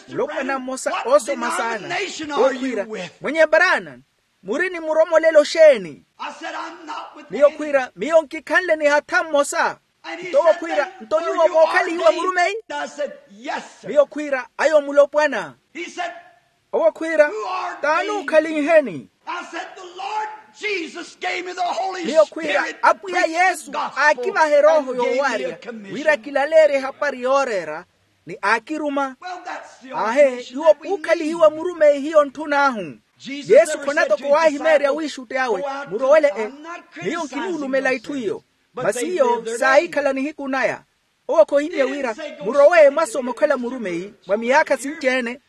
mulopwana mmosa oosoma saana. Owo khwiira, mwenye brana, muri ni muromolelo xeeni? Miyo khwiira miyo nkikhanle ni hatha mmosa. Nto owo khwiira, nto nyuwo mookhalihiwa murumeyi? Miyo khwiira, ayo mulopwana. Owo khwiira, t'ani ookhalinheni? Miyo khwiira, apwiya yesu aakivaha erooho yoowaarya wira kilaleerye ehapari yooreera ni aakiruma. Aahe nyuwo puukhalihiwa murumeyi hiyo ntthun'ahu. Yesu khona toko waahimeerya wiixutti awe murowele e. Miyo nkinuulumela itthu iyo. Masi iyo saahikhala nihiku naya. Owo khoohimya wira murowe mwasoma okhala murumeyi mwa miyaakha sinci-ene.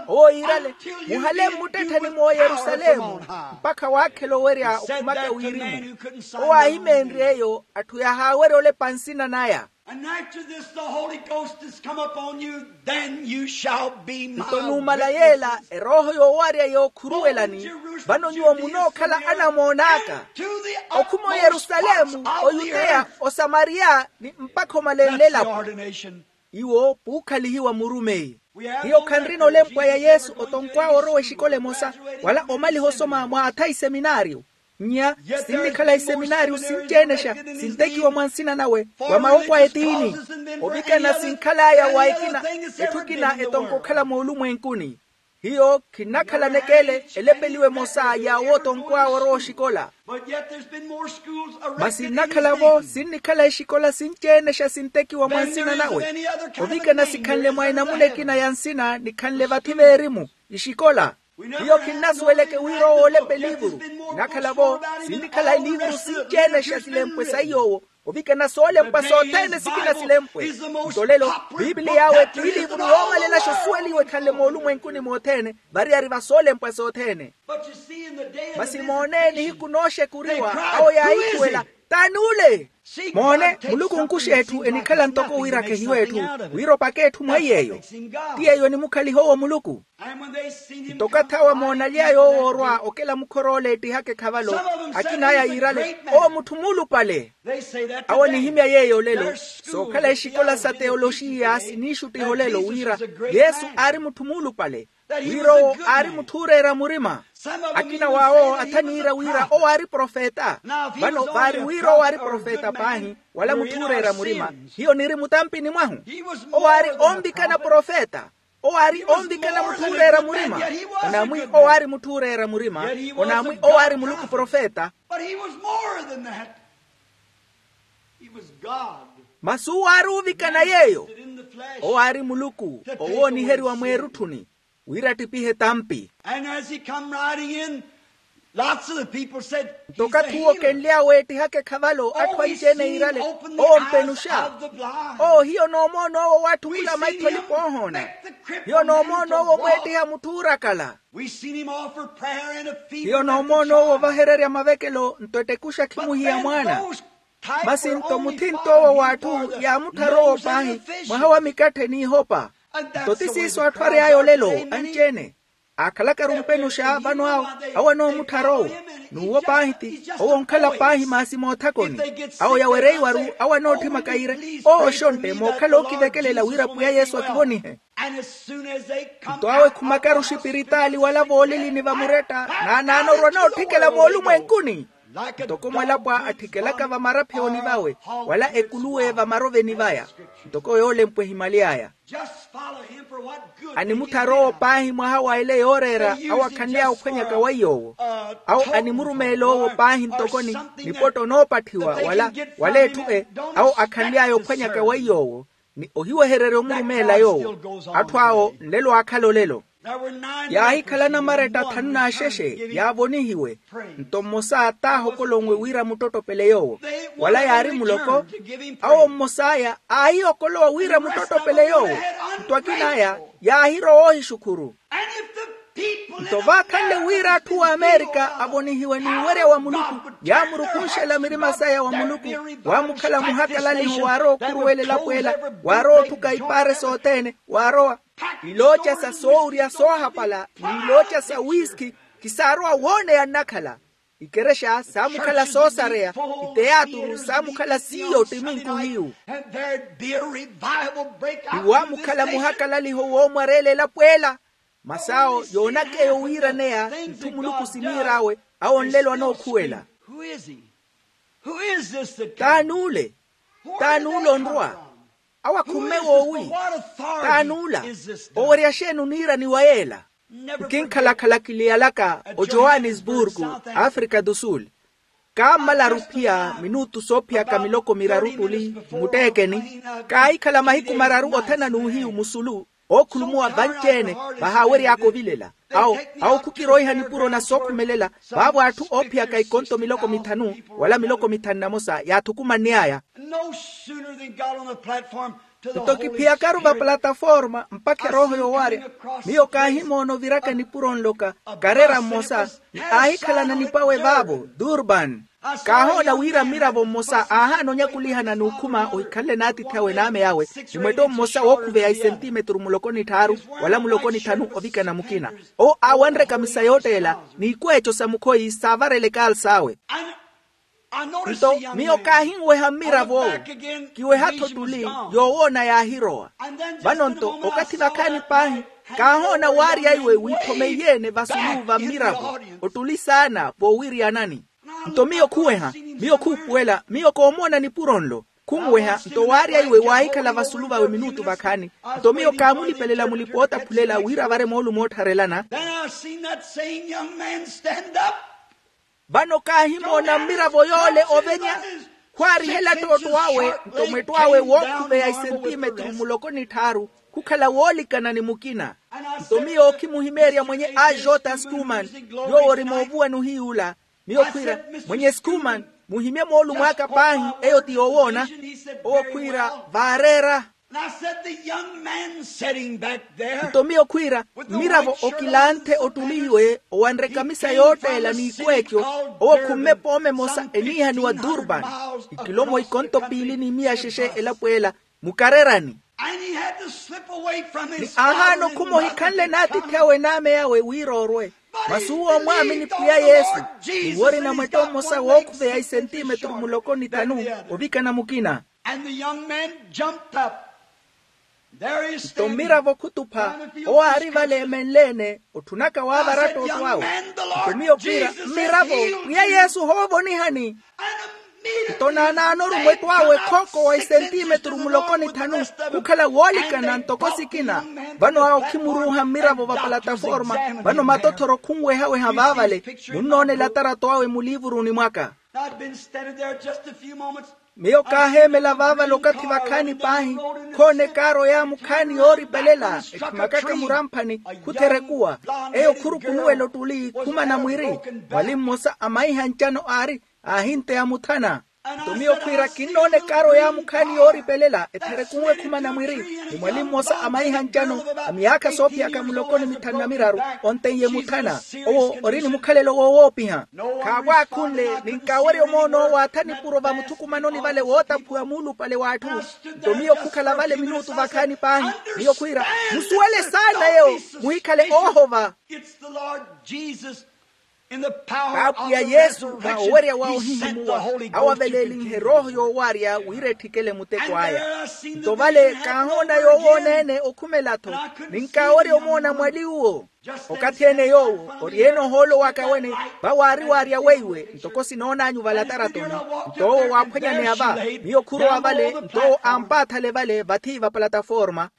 Owo yiirale muhale mmuttettheni mw'oyerusalemu mpakha waakhela owerya okhumaka wirimu. Owo aahimeenrye eyo atthu yahaawerya olepa nsina naya. And after this the holy ghost has come upon you, then you shall be my witnesses. Nto numala yeela erooho yoowarya yookhuruwelani vano nyuwo munookhala anamoon'aka okhuma oyerusalemu, oyuteya, osamariya ni mpakha omalenle elapo. Iwo puukhalihiwa murumeyi. Hiyo khanrina olempwa ya yesu otonkw'awe orowa exikola emosa wala omaliha osoma mwaatha iseminaariyo. Nnya sinnikhala iseminaariyo sinci-enexa sintekiwa mwa nsina nawe wa mawoko a etiini. Ovikana sinkhal'aya wa ekina etthu ekina etonka okhala moolumwenkuni. Hiyo khinnakhala nekele elepeliwe emosa yaawo otonkw'awe orowa oxikola. Masi nnakhala-vo sinnikhala exikola sinci-enexa sintekiwa mwa nsina nawe. Ovikana sikhanle mwa enamuna ekina ya nsina nikhanle vathi veerimu ixikola. Hiyo khinnasuweleke wira owo oolepa eliivuru. Nnakhala-vo sinnikhala eliivuru sinci-enexa silempwe sa iy'owo ovikana soolempwa sothene sikina silempwe. Nto lelo pipiliy'awe t'eliivuru yoomalelaxa osuweliwa ekhanle moolumwenkuni mothene variyari va soolempwa sothene. Masi moone nihiku nooxekuriwa awo yaahikhuwela T'ani ule? Moone, muluku onkuxa etthu enikhala ntoko wira khehiwe etthu, wira opake etthu mwa yeeyo. Ti yeeyo enimukhaliha owo muluku. Nto okathi awo moonaly'aya owo orwa okela mukhor'ole ettihaka ekhavalo, akina aya yiirale, owo mutthu muulupale. Awo enihimya yeeyo olelo. Sookhala exikola sa teyoloxiya siniixuttiha olelo wira yesu aari mutthu muulupale, wira owo aari mutthu ooreera murima. Akina w'awo athaniira wira owo aari profeta. Vano vaari wira owo aari profeta paahi, wala mutthu ooreera murima, hiyo niri mutampini mwahu. Owo aari onvikana profeta. Owo aari onvikana mutthu ooreera murima. Onaamwi owo aari mutthu ooreera murima. Onaamwi owo aari muluku profeta. But he was more than that. He was God. Masi owo aari ovikana yeeyo. Owo aari muluku owooniheriwa mweerutthuni, wira attipihe tampi. And as he come riding in, lots of the people said, nto okathi uwo okenly'awe ettihaka ekhavalo atthu anci-ene yiirale, owo mpenuxa. Owo hiyo noomoona owo waatthukula maitho alipa oohoona. Hiyo noomoona owo omweettiha mutthu oorakala. Hiyo noomoona owo ovahererya mavekelo nto ettekuxa khimuhiya mwaana. Masi nto muthinto owo w'atthu yaamuttharowo paahi mwaha wa mikathe n'ihopa. Nto ti siiso atthu ary'aya olelo anci-ene aakhalakaru mpenuxa vano awo, awo anoomuttharowo. N'uwo paahi ti owo onkhala paahi maasi moothakoni. Awo yawereiwaru awo anootthimaka yiire, owo oxontte mookhala ookivekelela wira pwiya yesu akivonihe. Nto awo ekhumakaru oxipiritaali wala voolilini vamuretta, naanaana orwa nootthikela moolumwenkuni ntoko mwalapwa atthikelaka vamaraphewoni vawe, wala ekuluwe vamaroveni vaya, ntoko yoolempwa ehimaly'aya. Animuttharowo paahi mwaha wa ele yooreera awo akhanly'aya ophwanyaka weiy'owo. Awo animurumeel'owo paahi ntoko ni nipotto onoopatthiwa wala wala etthu e awo akhanly'aya ophwanyaka weiy'owo, ni ohiwehererya omurumeela yoowo. Atthu awo nlelo aakhala olelo. Yaahikhala namaretta thanu n'axexe yaavonihiwe. Nto mmosa taahokolonwe wira amuttottopele yoowo, wala yaari muloko. Awo mmos'aya aahiyokolowa wira amuttottopele yoowo. Nto akin'aya yaahirowa oohixukhuru. Nto vaakhanle wira atthu a amerika avonihiwe n'uwerya wa muluku, yaamurukunxela mirima saya wa muluku. Waamukhala muhakalaliho waarowa okhuruwela elapo ela, waarowa otthuka ipaare sothene, waarowa ilooca sa soowurya soohapala n'ilooca sa wiskhi. Kisaarowa wooneya nnakhala. Ikerexa saamukhala soosareya, iteyaaturu saamukhala siiyo ottiminku hiyu. Iwaamukhala muhakalaliho woomwareela elapo ela. Masi awo yoonaka eyo wiiraneya itthu muluku siniir'awe. Awo nlelo anookhuwela. T'ani ule? T'ani ule onrwa? Awo akhumme woowi? T'ani ula? Owerya xeeni oniirani wa yeela? Nkinkhalakhala kiliyalaka ojohannesburgo, africa do sul. Kaammalaru ophiya minutu soophiyaka miloko miraru tuli mutteekeni. Kaahikhala mahiku mararu othana n'uhiyu musulu, ookhulumuwa vanci-ene vahaawery'aka ovilela. Awo awo khukiroiha nipuro na sookhumelela. Vaavo atthu oophiyaka ikonto miloko mithanu wala miloko mithanu na mosa yaathukumann'aya. Nto kiphiyakaru va plataforma mpakha erooho yoowaarya, miyo kaahimoona oviraka nipuro nloka karera mmosa, ni aahikhalana nipwawe vaavo durban. Kaahoona wira mmiravo mmosa aahaana onyakulihana n'ukhuma ohikhanle n'atiithi awe n'ame awe, ni mwetto mmosa wookhuveya isentimetru muloko ni tthaaru wala muloko ni tthanu ovikana mukina. Owo aawanreka misa yootteela n'ikweeco sa mukhoyi saavarela ekaals'awe. Nto miyo kaahinweha mmirav'owo, kiweha-tho ottuli, yoowoona yaahirowa. Vano-nto okathi vakhaani paahi, kaahoona waarya iwe wiithomeiye-ene vasulu va mmiravo ottuli saana voowiryana-ni. Nto miyo khuweha, miyo khuupuwela, miyo koomoona nipuro nlo. Khunweha nto waarya iwe waahikhala vasulu vawe minutu vakhaani. Nto miyo kaamulipelela mulipa ootaphulela wira avare moolumo oottharelana. Then I seen that same young man stand up. Vano kaahimoona mmiravo yoole ovenya, khwaarihela ttootto awe nto mwetto awe wookhuveya isentimetru muloko ni tthaaru, khukhala woolikana ni mukina. Nto miyo okhimuhimeerya mwenye ajota skuman, yoowo ori moovuwani ohiy'ula. Miyo khwiira, mwenye skuman, muhimye moolumo aka paahi, eyo ti yoowoona. Owo khwiira, vaareera. And I said, the young man sitting back there, nto miyo khwiira, mmiravo okilanthe ottuliwe owanre ekamisa yootteela n'ikweekyo, owo khumme pooma emosa eniihaniwa durban, ikilomo ikonto piili ni miya xexe elapo ela, mukarerani. And he had to slip away from his father. Ni aahaana okhuma ohikhanle n'atiithi awe n'ame awe wira orwe. Masi uwo omwaamini pwiya yesu, ni wori namwetto mmosa wookhuveya isentimetru muloko ni thanu ovikana mukina. And the young man jumped up. There he is. Nto mmiravo khutupha, owo aari vale emenle-ene otthunaka waavara ttootto awe. Nto miyo khwiira, mmiravo, pwiya yesu ohoovonihani. Nto naanaanoru mwetto awe khooko wa isentimetru muloko ni thanu, khukhala woolikana ntoko sikina. Vano awo khimuruuha mmiravo va palataforma. Vano matothoro khunwehaweha vaavale. Munnoonela tarato awe muliivuruni mwaka. I'd been standing there just a few moments. Miyo kaaheemela vaavale okathi vakhaani paahi. Khoona ekaaro ya mukhaani yooripelela, ekhimakaka muramphani, khutherekuwa. Eyo khurukunuwela ottuli khumana mwiri. Mwali mmosa a maiha ncano aari, aahinteya muthana. Nto miyo khwiira kinnoona ekaaro ya mukhaani yooripelela etherekuwe khumana mwiri. Ni mwali mmosa a maiha ncano, a miyaakha soophiyaka muloko ni mithanu na miraru, onteiye muthana. Owo ori ni mukhalelo woowoopiha. Khaavwaakhunle, ninkaawerya omoona owo aatha nipuro vamuthukumanoni vale wootaphuwa muulupale w'atthu. Nto miyo khukhala vale minutu vakhaani paahi. Miyo khwiira, musuwele saana yeewo, muhikhale oohova. It's the Lord Jesus. Kaapwiya yesu va owerya wa ohihimuwa, awavelelinhe erooho yoowarya wira etthikele muteko aya. Nto vale kaahoona yoowoona-ene okhumela-tho, ninkaawerya omoona mwali uwo. Okathi-ene yoowo ori-ene ohoolo waka wene, vawaariwaarya weiwe ntoko sinoon'anyu valataratoni. Nto owo waaphwanyaneya va, miyo khurowa vale nto owo ampaathale vale vathi vapalataforma.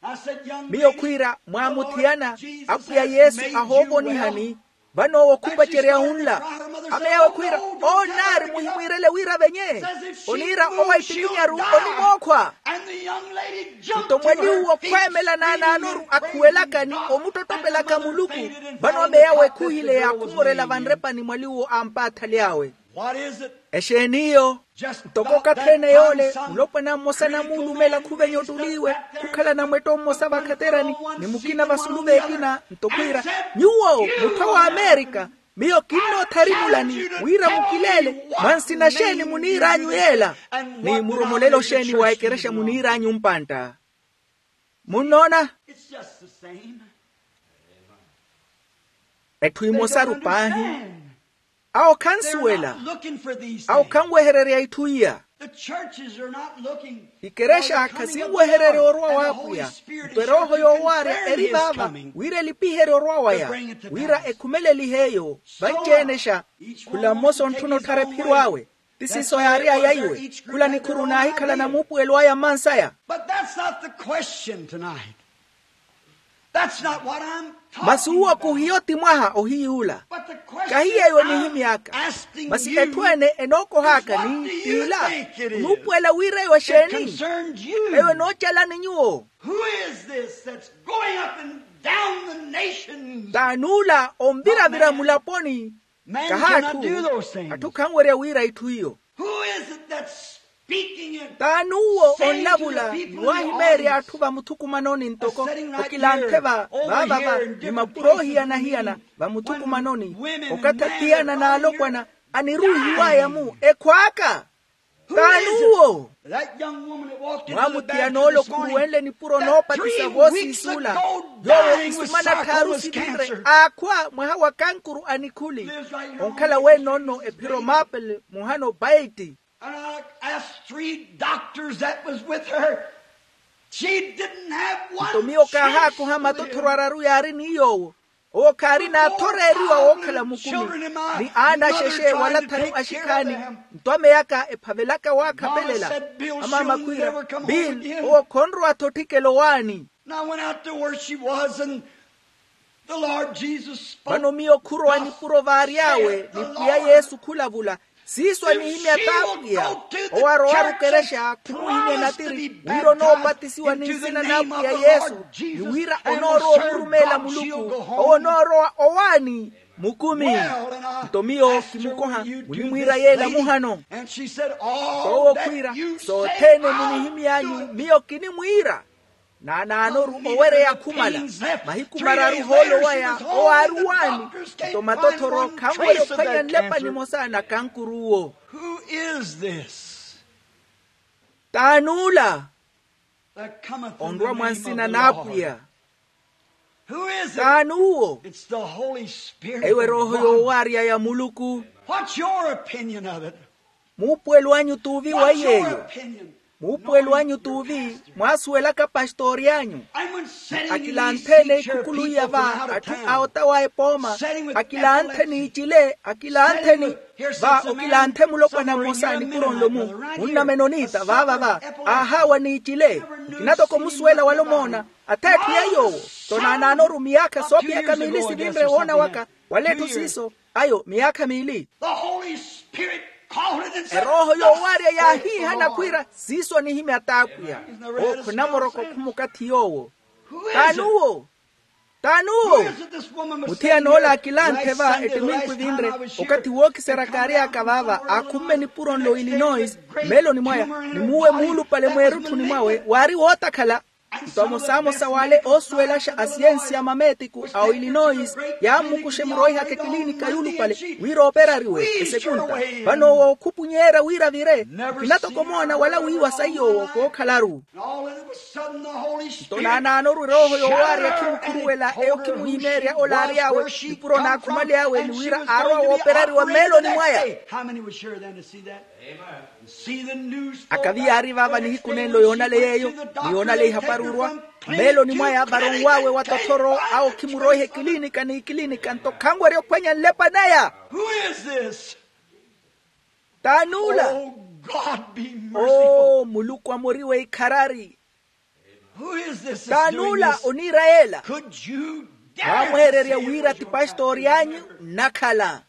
Miyo khwiira, mwaamuthiyana, apwiya yesu ahoovonihani. Vano owo khupacerya unla, ame yawe khwiira, onaari muhimwiirele wira avenye. Oniira owa itikinyaru onimookhwa. Nto mwali uwo khweemela naanaanoru akhuwelaka ni omuttottopelaka muluku. Vano ame yawe khuhileya khumorela vanrepani mwali uwo ampaathale awe. Exeen'iyo? Ntoko okathi-ene yoole, mulopwana mmosa namuulumela khuvenya ottuli iwe, khukhala namwetto mmosa vakhaterani, ni mukina vasulu v'ekina nto khwiira, nyuwo muttho wa amerika, miyo kinnootharimulani wira mukileele mwa nsina xeeni muniir'anyu yeela, ni muromolelo xeeni wa ekerexa muniir'anyu mpantta. Munnoona? Etthu imosaru paahi. Awo khansuwela. Awo khanwehererya itthu iya. Ikerexa khasinwehererya orwa w'apwiya. Nto erooho yoowaarya eri vaava wira elipiherye orwa waya, wira ekhumelelihe eyo. Vanci-enexa, khula mmosa ontthuna otthara ephiro awe. Ti siiso yaary'aya iwe. Khula nikhuru naahikhala namuupuwelo aya mmansaya. Masi uwo khuhiyo ti mwaha ohiy'ula. Kahi yeeyo enihimy'aka. Masi etthu ene enookoh'aka ni t'ila, onuupuwela wira eyo exeeni? Eyo enoocalani nyuwo. T'ani ula onviravira mulaponi? Kaha atthu. Atthu khanwerya wira itthu iyo. T'ani uwo onlavula ni waahimeerya atthu vamuthukumanoni ntoko okilanthe va vaavava ni mapuro ohiyana-hiyana vamuthukumanoni? Okathi athiyana n'alopwana aniruuhiw'aya-mu ekhw'aka. T'ani uwo? Mwaamuthiyan'ole okhuruwenle nipuro noopatisa voosiis'ula, yoowo isumana tthaaru sivinre aakhwa mwaha wa kankuru a nikhuli. Onkhala wene onno ephiro maple muhano baiti. Nto miyo kaahaakoha matothoro araru yaari ni yoowo. Owo khaari n'athoreeriwa wookhala mukumi, ni aana axexe wala thanu axikhaani. Nto ame yaka ephavelaka waakhapelela. Amaama khwiira, bill, owo khonrowa-tho otthikela owaani. Vano miyo khurowa nipuro vaary'awe ni pwiya yesu khulavula. Siiso anihimya t'apwiya. Owo arowaru okerexa khumuhimya natiri wira onoopatisiwa ni nsina n'apwiya yesu, ni wira onoorowa omurumeela muluku. Owo onoorowa owaani mukumi. Nto miyo kimukoha munimwiira yeela muhano. Nto owo khwiira, sothene munihimy'anyu miyo kinimwiira. Naanaanoru owereya khumala. Mahiku mararu hoolo waya owo aari owaani. Nto matothoro khanwerya ophwanya nlepa nimosa na kankuruwo. T'ani ula onrwa mwa nsina n'apwiya? T'ani uwo? Eyo erooho yoowaarya ya muluku. Muupuwelo anyu t'uvi wa iy'eyo? Muupuwelo anyu t'uvi? Mwaasuwelaka pastori anyu akilanthe-ene ikhukulu iya va atthu a ota wa epooma. Akilanthe n'icile akilanthe-ene. Va okilanthe mulopwana mmosa nipuro nlo-mu munnamena oniita vaava va aahaawa n'icile. Nkina toko musuwela wala omoona. Ath'etthu ya yoowo. Nto naanaanoru miyaakha soophiyaka miili sivinre woona waka wala etthu siiso ayo miyaakha miili. Erooho yoowaarya yaahiihana khwiira siiso anihimya t'apwiya. Owo khunamoroko khumukathi yoowo. T'ani uwo? T'ani uwo? Muthiyana ola akilanthe va ettiminku evinre okathi wookiseryaka aary'aka vaava aakhumme nipuro nlo illinois mmeeloni mwaya. Ni muuwe muulupale mweerutthuni mwawe waari wootakhala. Nto amosamosa w'ale oosuwelaxa asiyensi a mameetiku a oillinois yaammukuxa emuroihaka ekilinika yuulupale wira ooperariwe esekunta. Vano owo okhupunyeerya wira avire. Nkina toko omoona wala wiiwa saiy'owo kookhalaru. Nto naanaanoru erooho yoowaarya khimukhuruwela eyo khimuhimeerya ola aary'awe nipuro n'akhumaly'awe ni wira aarowa wooperariwa mmeeloni mwaya. Akavi yaari vaava nihiku nenlo yoonaleya eyo ni yoonaleya ihapari orwa mmeeloni mwaya varonw'awe wa tothoro awo khimuroiha ekilinika n'ikilinika nto khanwerya ophwanya nlepa naya. T'ani ula? Oo muluku amoriwe ikharari. T'ani ula oniira yeela? Mwaamweererya wira ti pastori anyu nnakhala?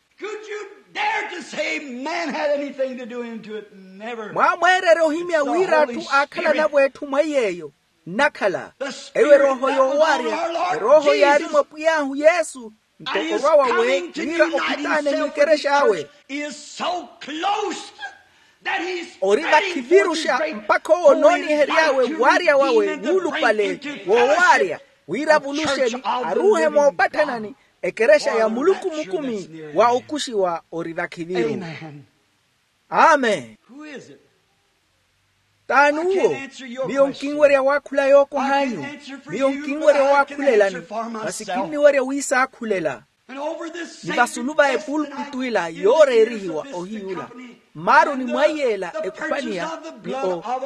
Mwaamweererya ohimya wira atthu aakhalanavo etthu mwa iy'eyo nnakhala? Eyo erooho yoowaarya erooho yaari mwa pwiy'ahu yesu. Nto orwa wawe wira ophitaane mwikerex'awe ori vakhiviruxa mpakha owo onoonihery'awe waarya wawe wuulupale woowaarya wira avuluxeni aruuhe moopatthanani ekerexa ya muluku mukumi wa okuxiwa ori vakhiviru. Amen. T'ani uwo? Miyo nkinwerya waakhula yookoh'anyu. Miyo nkinwerya owaakhulelani masi kinniwerya wiisaakhulela. Ni vasulu va epulpitu ila yooreerihiwa ohiyula mmaaruni mwa iyeela ekhupaniya ni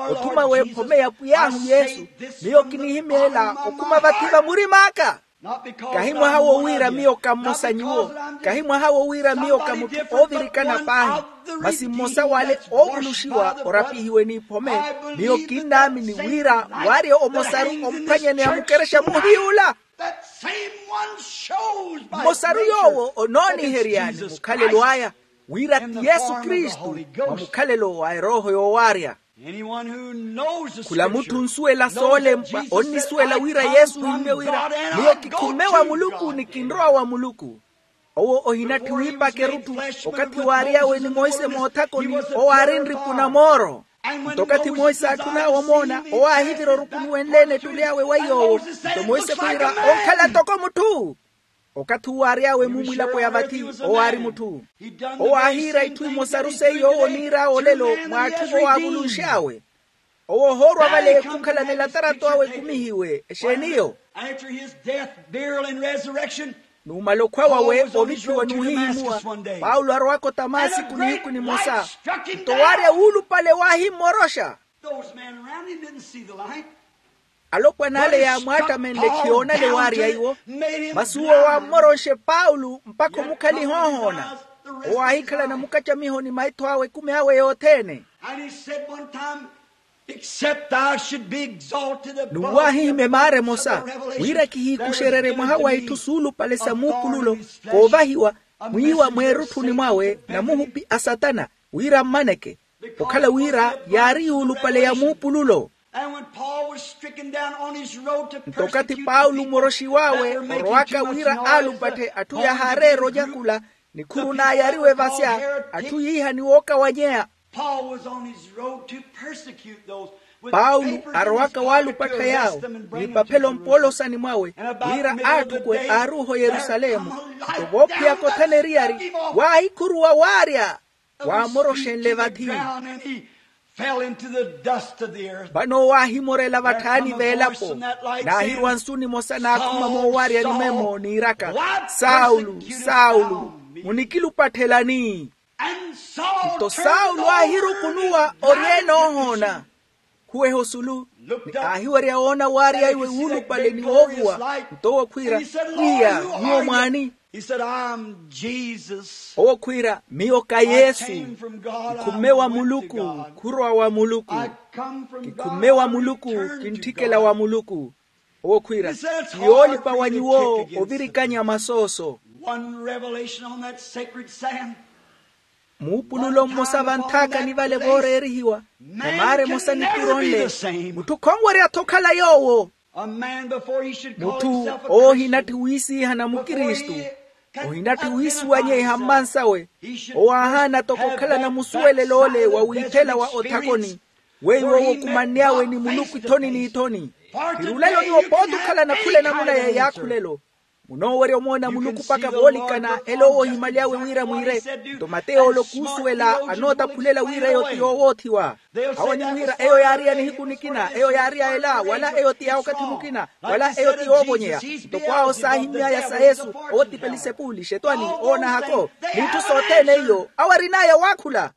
othuma w'ephome ya pwiy'ahu yesu. Miyo kinihimeela okhuma vathi va murim'aka. Kahi mwaha wo wira miyo ka mmosa nyuwo. Kahi mwaha wo wira miyo ka mutthu oovirikana paahi. Masi mmosa w'ale oovuluxiwa orapihiwe n'iphome. Miyo kinnaamini wira waarya omosaru omphwanyaneya mukerexa muhiyula. Mmosaru yoowo onooniheryani mukhalelo aya wira ti yesu kristu mwa mukhalelo wa erooho yoowaarya. Khula mutthu onsuwela soolempwa onnisuwela wira yesu ohimmye wira miyo kikhumme wa muluku ni kinrowa wa muluku. Owo ohinatthi wiipaka erutthu okathi waary'awe ni monse moothakoni owo aari nripu na mooro. Nto okathi monse aatthun'awe omoona owo aahivira orukunuwenle-ene etturi awe wa yoowo. Nto monse khwiira onkhala toko mutthu. Okathi uwo aary'awe mumwilapo ya vathi owo aari mutthu. Owo aahiira itthu imosaru seiyo owo oniir'awe olelo mw'atthu owo aavulunx'awe. Owo ohoorwa vale khukhala ni latarato awe ekumihiwe exeeni eyo? Numala okhwa wawe oviphiwa n'uhihimuwa paulo arowaka otamaasiku nihiku nimosa. Nto waarya wuulupale waahimmoroxa. Alopwana ale yaamwaattamenle khiyoonale waarya iwo. Masi uwo waammoronxe paulo mpakha omukhaliha ohoona. Owo aahikhala namukacamiho ni maitho awe ekumi awe yothene. N'uwo aahihimya emaara emosa wira kihiikuxererye mwaha wa itthu suulupale sa muupululo koovahiwa mwiiwa mweerutthuni mwawe namuhupi a satana wira mmaneke. Okhala wira yaari yuulupale ya muupululo. Nto okathi paulo moroxiw'awe orowaka wira aalupatthe atthu yahaareera onyakula nikhuru naayariwa evasya atthu yiiha ni wookawanyeya. Paulo arowaka waalupattha yaawo, n'ipaphelo mpoolosani mwawe, wira aatthukuwe aaruuha oyerusalemu. Nto voophiyaka othana eriyari, waahikhuruwa waarya, waamoroxenle vathi. Vano waahimorela vatthaani veelapo, naahirwa nsu nimosa naakhuma moowaryani memo niiraka, saulo, saulo, munikilupatthelani? Nto saulo aahirukunuwa oryeene oohoona, khuweha osulu, ni aahiwerya woona waarya iwe wuulupale ni woovuwa. Nto owo khwiira, pwiya, nyuwo mwaani? Owo khwiira, miyo ka yesu, kikhumme wa muluku, khurowa wa muluku. Kikhumme wa muluku, kintthikela wa muluku. Owo khwiira, ti yoolipa wa nyuwo ovirikanya masooso. Muupululo mmosa vanthaakani vale vooreerihiwa, na maara emosa nipuro nle, mutthu khonwerya-tho okhala yoowo. Mutthu owo ohinatthi wiisiihana mukristu, ohinatthi wiisuwanyeha mmansawe, owo aahaana toko okhalana musuwelelo ole wa wiithela wa othakoni, weiwo owo okumanny'awe ni muluku ithoni n'ithoni. Khirulelo nyuwo pooti okhalana khula enamuna ya yaakhulelo. Munoowerya omoona muluku mpakha voolikana ela owo ohimaly'awe wira mwiire. Nto mateyo ole okuusuwela anootaphulela wira eyo ti yoowoothiwa. Awo animwiira eyo yaari ya nihiku nikina, eyo yaari ya ela, wala eyo ti ya wakathi mukina, wala eyo ti yoovonyeya. Nto kwaawo saahimmy'aya sa yesu, owo ti pelisepuli, xetwani, oonahako, n'itthu sothene iyo awo arin'aya waakhula.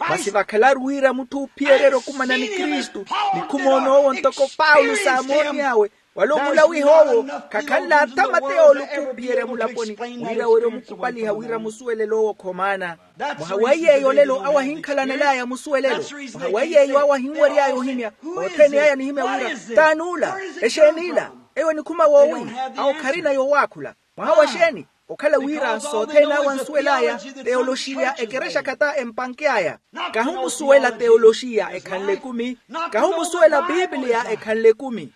Masi vakhalaru wira mutthu oophiyererya okumana ni kristu, ni khumoona owo ntoko paulo saamoonny'awe, wala omulawiha owo khakhanle athamateya ole okuuphiyerya mulaponi, wira werya omukhupaliha wira musuwelelo owo khomaana. Mwaha wa iy'eyo olelo awo ahinkhalanel'aya musuwelelo. Mwaha wa iy'eyo awo ahinwery'aya ohimya, othene aya anihimya wira, t'ani ula? Exeeni ila? Eyo enikhuma woowi? Awo kharina yoowaakhula. Mwaha wa xeeni? Okhala wira sothene awo ansuwel'aya, teoloxiya ekerexa khata empanke'aya. Kahi omusuwela teoloxiya ekhanle ekumi. Kahi omusuwela pipiliya ekhanle ekumi.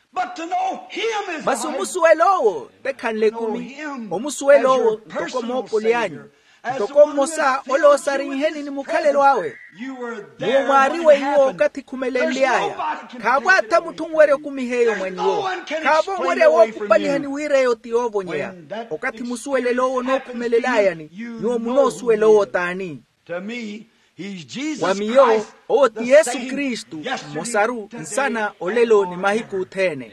Masi omusuwela owo tekhanle ekumi. Omusuwela owo ntoko moopoli anyu, ntoko mmosa ole oosarinheni ni mukhalelo awe. Nyuwo mwaari weiwo okathi khumelenly'aya. Khaavo atha mutthu onwerya okumiha eyo mwa nyuwo. Khaavo onwerya wookhupalihani wira eyo ti yoovonyeya. Okathi musuwelelo owo onookhumelel'ayani, nyuwo munoosuwela owo t'ani? Wa miyo, owo ti yesu kristu, mmosaru, nsana, olelo ni mahiku othene.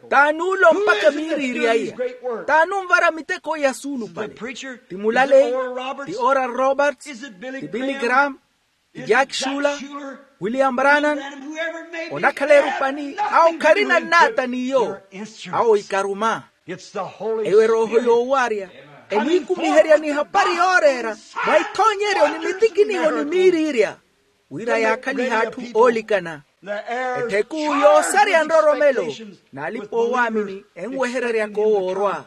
T'ani ulo mpakha miiriirya iya? T'ani onvara miteko iya suulupale? Ti mulaleyi? Ti oral roberts? Ti billy graham? Ti jack shuler? William brannan? Onakhala erupani, awo kharina nnaata n'iyo. Awo ikaruma. Eyo erooho yoowarya, emwiikumiherya ni hapari yooreera, mwa ithoonyeryo ni mitikiniho ni miiriirya, wira yaakhalihe atthu oolikana. Ettheku yoosarya nroromelo, n'alipa-oowaamini enwehereryaka owoorwa.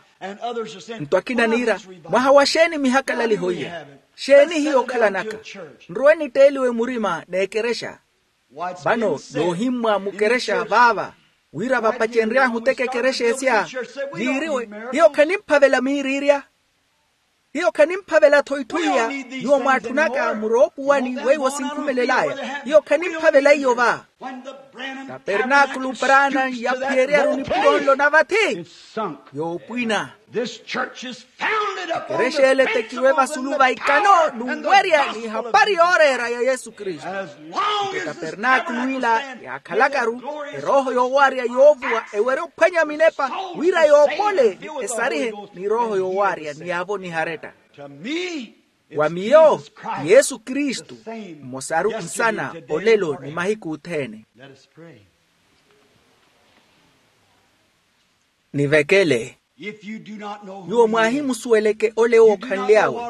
Nto akina niira, mwaha wa xeeni mihakalaliho iya? Xeeni hiyo okhalanaka? Nrowe nitteeliwe murima n'ekerexa. Vano yoohimmwa mukerexa vaava, wira vapacenry'ahu oteka ekerexa esya, yiiriwe, hiyo khanimphavela miiriirya. Hiyo khanimphavela-tho itthu iya. Nyuwo mwaatthunaka muroopuwani weiwo sinkhumelel'aya. Hiyo khanimphavela iyo va. Tapernaakulu paraana yaphiyeryaru nipuro nlo na vathi, yoopwina. Ekerexa ele etekirwe vasulu va ikano n'uwerya ni hapari yooreera ya yesu kristu. Nto etapernaakulu ila yaakhalakaru, erooho yoowarya yoovuwa ewerya ophwanya minepa, wira yoopole esarihe ni erooho yoowarya ni yaavo niharetta. Wa miyo, yesu kristu, mmosaru nsana, olelo ni mahiku othene. Nivekele. Nyuwo mwaahimusuweleke ole owo okhanly'awe,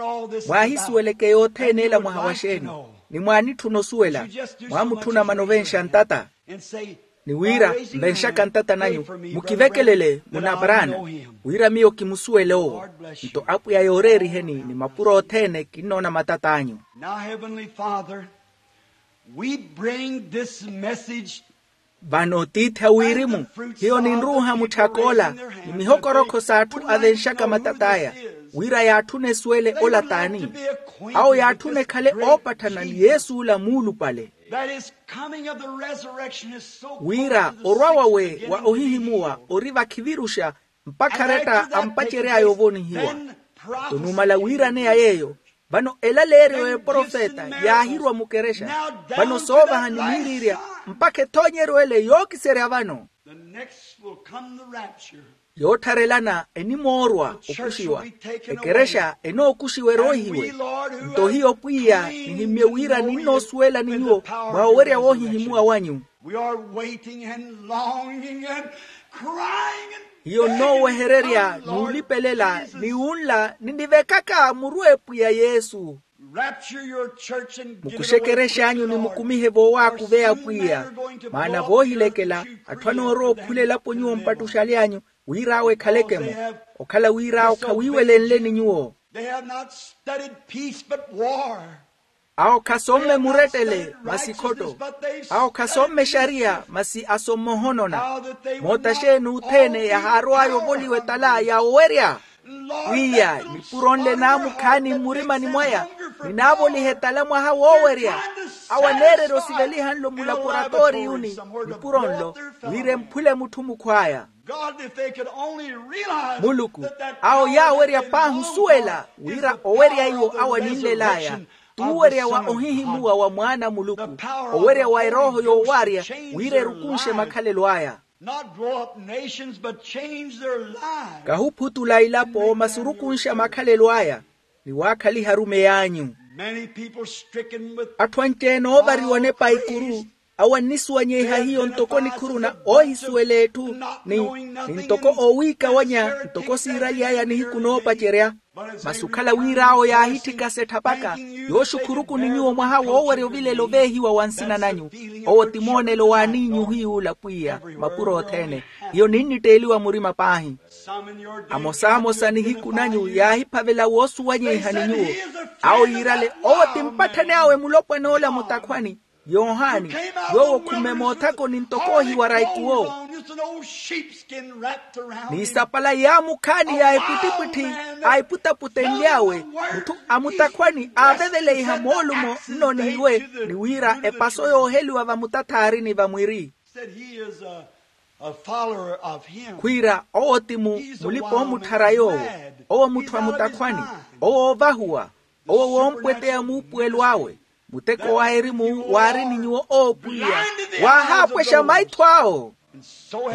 mwaahisuweleke yothene ela mwaha wa xeeni, ni mwaanitthuna osuwela, mwaamutthuna mana ovenxa ntata. Ni wira, nvenxaka ntata nanyu, mukivekelele munaparaana, wira miyo kimusuwele owo. Nto apwiya yooreeriheni ni mapuro othene kinnoona matat'anyu. Now heavenly father, we bring this message. Vano tiithi a wirimu, hiyo ninruuha mutthak'ola ni mihokorokho s'atthu avenxaka matat'aya. Wira yaatthuna esuwele ola t'ani? Awo yaatthuna ekhale oopatthana ni yesu ola muulupale. Wira orwa wawe wa ohihimuwa ori vakhiviruxa mpakha aretta ampacery'aya ovonihiwa. Nto numala wiiraneya yeeyo, vano elaleeryo y'eprofeta yaahirwa mukerexa. Vano soovaha ni miiriirya mpakha ethoonyeryo ele yookiserya vano. Yoottharelana enimoorwa okuxiwa. Ekerexa enookuxiwa eroohiwe. Nto hiyo pwiya nihimmye wira ninnoosuwela ni nyuwo mwa owerya woohihimuwa wanyu. Hiyo nnoowehererya n'ulipelela ni wunla ninivekaka muru epwiya yesu. Mukuxe ekerex'anyu ni mukumihe voowaakuveya pwiya. Maana voohilekela atthu anoorowa okhula elapo nyuwo mpattuxaly'anyu wira awo ekhaleke-mo. Okhala wira awo khawiiwelenleni nyuwo. Awo khasomme murettele masi khotto. Awo khasomme exariya masi asomme ohonona. Moota xeeni othene yahaarow'aya ovoliwa etala ya owerya. Pwiya nipuro nle naamukhaani mmurimani mwaya. Ninaavoliha etala mwaha woowerya. Awo aneererya osiveliha nlo mulaporatooriyuni nipuro nlo wira emphule mutthu mukhw'aya. Muluku, awo yaawerya paahi osuwela wira owerya iwo awo aninlel'aya t'uwerya wa ohihimuwa wa mwaana a muluku. Owerya wa erooho yoowaarya wira erukunxe makhalelo aya. Kahuphutula ilapo masi orukunxa makhalelo aya ni waakhaliha arumeyi anyu. Atthu anci-ene oovariwa onepa a ikuru awo annisuwanyeiha hiyo ntoko nikhuru na oohisuwela etthu ni ntoko oowiikawanya ntoko siiraly'aya nihiku noopacerya. Masi okhala wira awo yaahitthikasa etthapaka yooxukhuruku ni nyuwo mwaha woowerya ovilela oveehiwa wa nsina nanyu. Owo ti moonelo w'aniinyu ohiy'ula pwiya mapuro othene. Hiyo ninnitteeliwa murima paahi. Amosamosa nihiku nanyu yaahiphavela woosuwanyeiha ni nyuwo. Awo yiirale owo ti mpatthani awe mulopwana ola mutakhwani yohani yoowo khumme moothakoni ntoko ohiwara ikuwo. N'isapala yaamukhaani ya epwittipwitthi a eputaputenly'awe mutthu a mutakhwani aaveveleiha moolumo nno n'iwe ni wira epaso yooheliwa vamutatthaarini vamwiri. Khwiira owo ti mulipa-omutthara yoowo. Owo mutthu a mutakhwani. Owo oovahuwa. Owo woompweteya muupuwelo awe. Muteko wa erimu waari ni nyuwo oopwiya waahaapwexa maitho awo.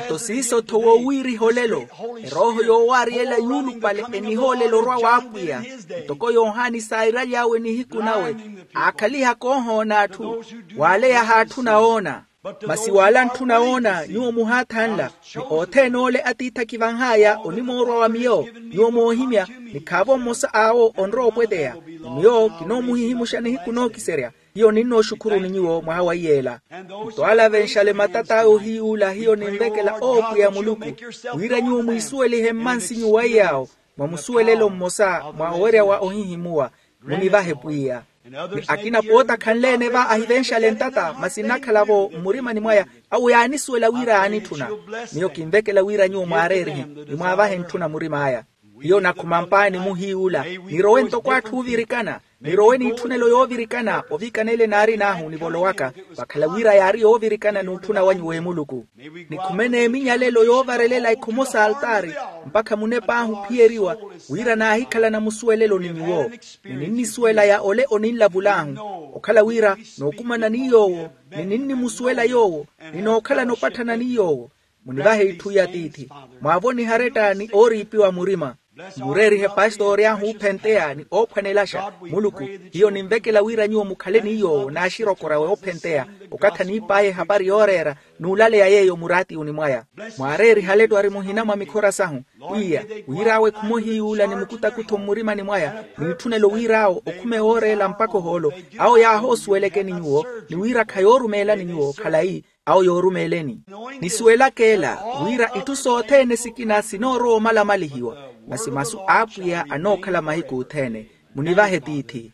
Nto siiso-tho woowiiriha olelo erooho yoowaariyela yuulupale enihoolela orwa w'apwiya. Ntoko yohani sairaly'awe nihiku nawe aakhalihaka oohoona atthu w'ale yahaatthuna woona. Masi w'ale antthuna woona nyuwo muhaathanla ni othene ole atiithi akivanh'aya onimoorwa wa miyo. Nyuwo moohimya ni khaavo mmosa awo onrowa opweteya ni miyo kinoomuhihimuxa nihiku nookiserya. Hiyo ninnooxukhuruni nyuwo mwaha wa iyeela. Nto ale avenxale matat'awe ohiy'ula hiyo ninvekela oopwiya muluku wira nyuwo mwiisuwelihe mmansinyu wa iy'awo mwa musuwelelo mmosa mwa owerya wa ohihimuwa. Munivahe pwiya. Ni akina pooti akhanle-ene va ahivenxale ntata masi nnakhala-vo mmurimani mwaya. Awo yaanisuwela wira yaanitthuna. Miyo kinvekela wira nyuwo mwaareerihe ni mwaavahe ntthuna murim'aya. Hiyo nakhuma mpaani muhiiwula nirowe ntoko atthu oovirikana. Nirowe n'itthunelo yoovirikana ovikana ele naarin'ahu nivolowaka vakhala wira yaari yoovirikana n'utthuna wanyu w'emuluku. Nikhume n'eminyalelo yoovarelela ikhomo s'altaari mpakha munep'ahu ophiyeriwa wira naahikhalana musuwelelo ni nyuwo. Ni ninnisuwela ya ole oninlavul'ahu okhala wira nookumana ni yoowo ni ninnimusuwela yoowo ni nookhalana opatthana ni yoowo. Munivahe itthu ya tiithi mwaavonihe aretta ni ooriipiwa murima. Mureerihe pastori ahu oophenteya ni oophwanelaxa. Muluku hiyo ninvekela wira nyuwo mukhale ni yoowo n'axirokorya woophentteya okathi aniip'aya ehapari yooreera n'ulaleya yeeyo muraatiyuni mwaya. Mwaareerihe aletwari muhina mwa mikhora sahu pwiya wira awe khumuhiyuula ni mukutakutho mmurimani mwaya n'itthunelo wira awo okhume wooreela mpakha ohoolo. Awo yaahoosuwelekeni nyuwo ni wira khayoorumeelani nyuwo khalayi awo yoorumeeleni. Nisuwelaka ela wira itthu sothene sikina sinoorowa omalamalihiwa masi masu a apwiya anookhala mahiku othene. Munivahe tiithi.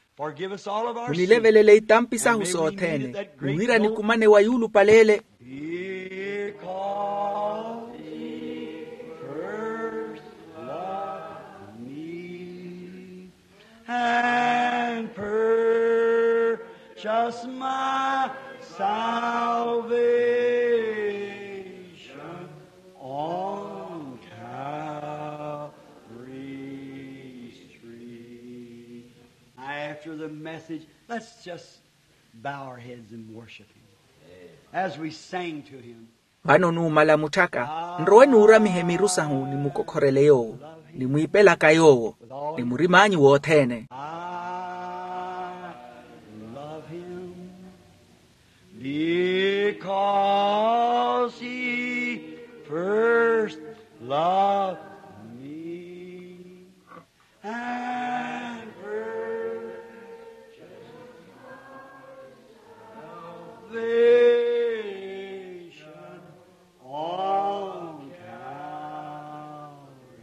Munilevelele itampi sahu sothene ni wira nikumane wa yuulupale ele. And purchase my salvation on Calvary's tree. After the message, let's just bow our heads and worship him as we sing to him. Vano numala mutthaka, nrowe nuuramihe miru sahu nimukokhorele yoowo, nimwiipelaka yoowo ni murim'anyu wothene. I love him because he first loved me and purchased salvation on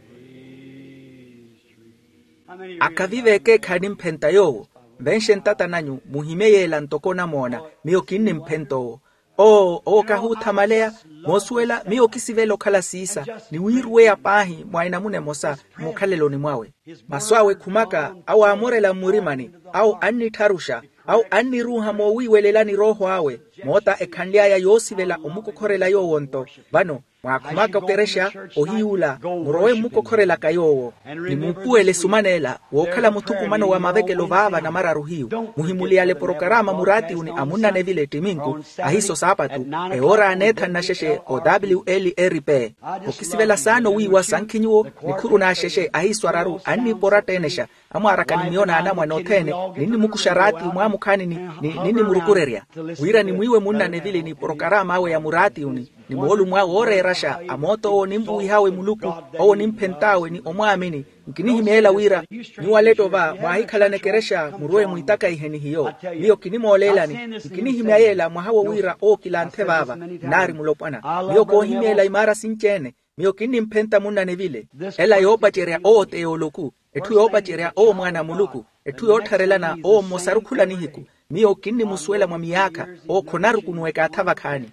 Calvary's tree. Akhavive ekeekhaani mphenta yoowo, nvenxe ntata nanyu muhimye yeela ntoko onamoona. Miyo kinnimphenta owo. Oo owo kahuuthamaleya. Moosuwela miyo kisivela okhala siisa ni wiiruweya paahi mwa enamuna emosa mukhaleloni mwawe. Masu awe khumaka awo aamorela mmurimani, awo annittharuxa, awo anniruuha moowiiwelelani rooho awe. Moota ekhanly'aya yoosivela omukokhorela yoowo-nto. Vano mwaakhumaka okerexa ohiy'ula, murowe mmukokhorelaka yoowo ni muupuwele esumaneela wookhala muthukumano wa mavekelo vaava namararu hiyu. Muhimuliyale porokaraama muraatiyuni a munnanevile ttiminku, ahiiso saapatu, ewoora aneethanna xexe o wlrp. Okisivela saana owiiwa sankhi nyuwo nikhuru n'axexe ahiiso araru anniiporatta enexa. Amwaaraka ni miyo n'anamwane othene ninnimukuxa raatiyu mwaamukhaani ni ninnimurukurerya wira nimwiiwe munnanevili ni porokaraama awe ya muraatiyuni ni moolumo awe ooreeraxa a moot'owo ninvuwih'awe muluku, owo nimphent'awe ni omwaamini. Nkinihimyeela wira nyuwo aletto va mwaahikhalana ekerexa murowe mwiitakaihe ni hiyo. Miyo kinimooleelani. Nkinihimya yeela mwaha wo wira owo kilanthe vaava nnaari mulopwana. Miyo koohimyeela imaara sinci-ene. Miyo kinnimphenta munnanevile. Ela yoopacerya owo t'ey'oloku. Etthu yoopacerya owo mwaana a muluku. Etthu yoottharelana owo mmosaru khula nihiku. Miyo kinnimusuwela mwa miyaakha. Owo khonarukunuwa ekaatha vakhaani.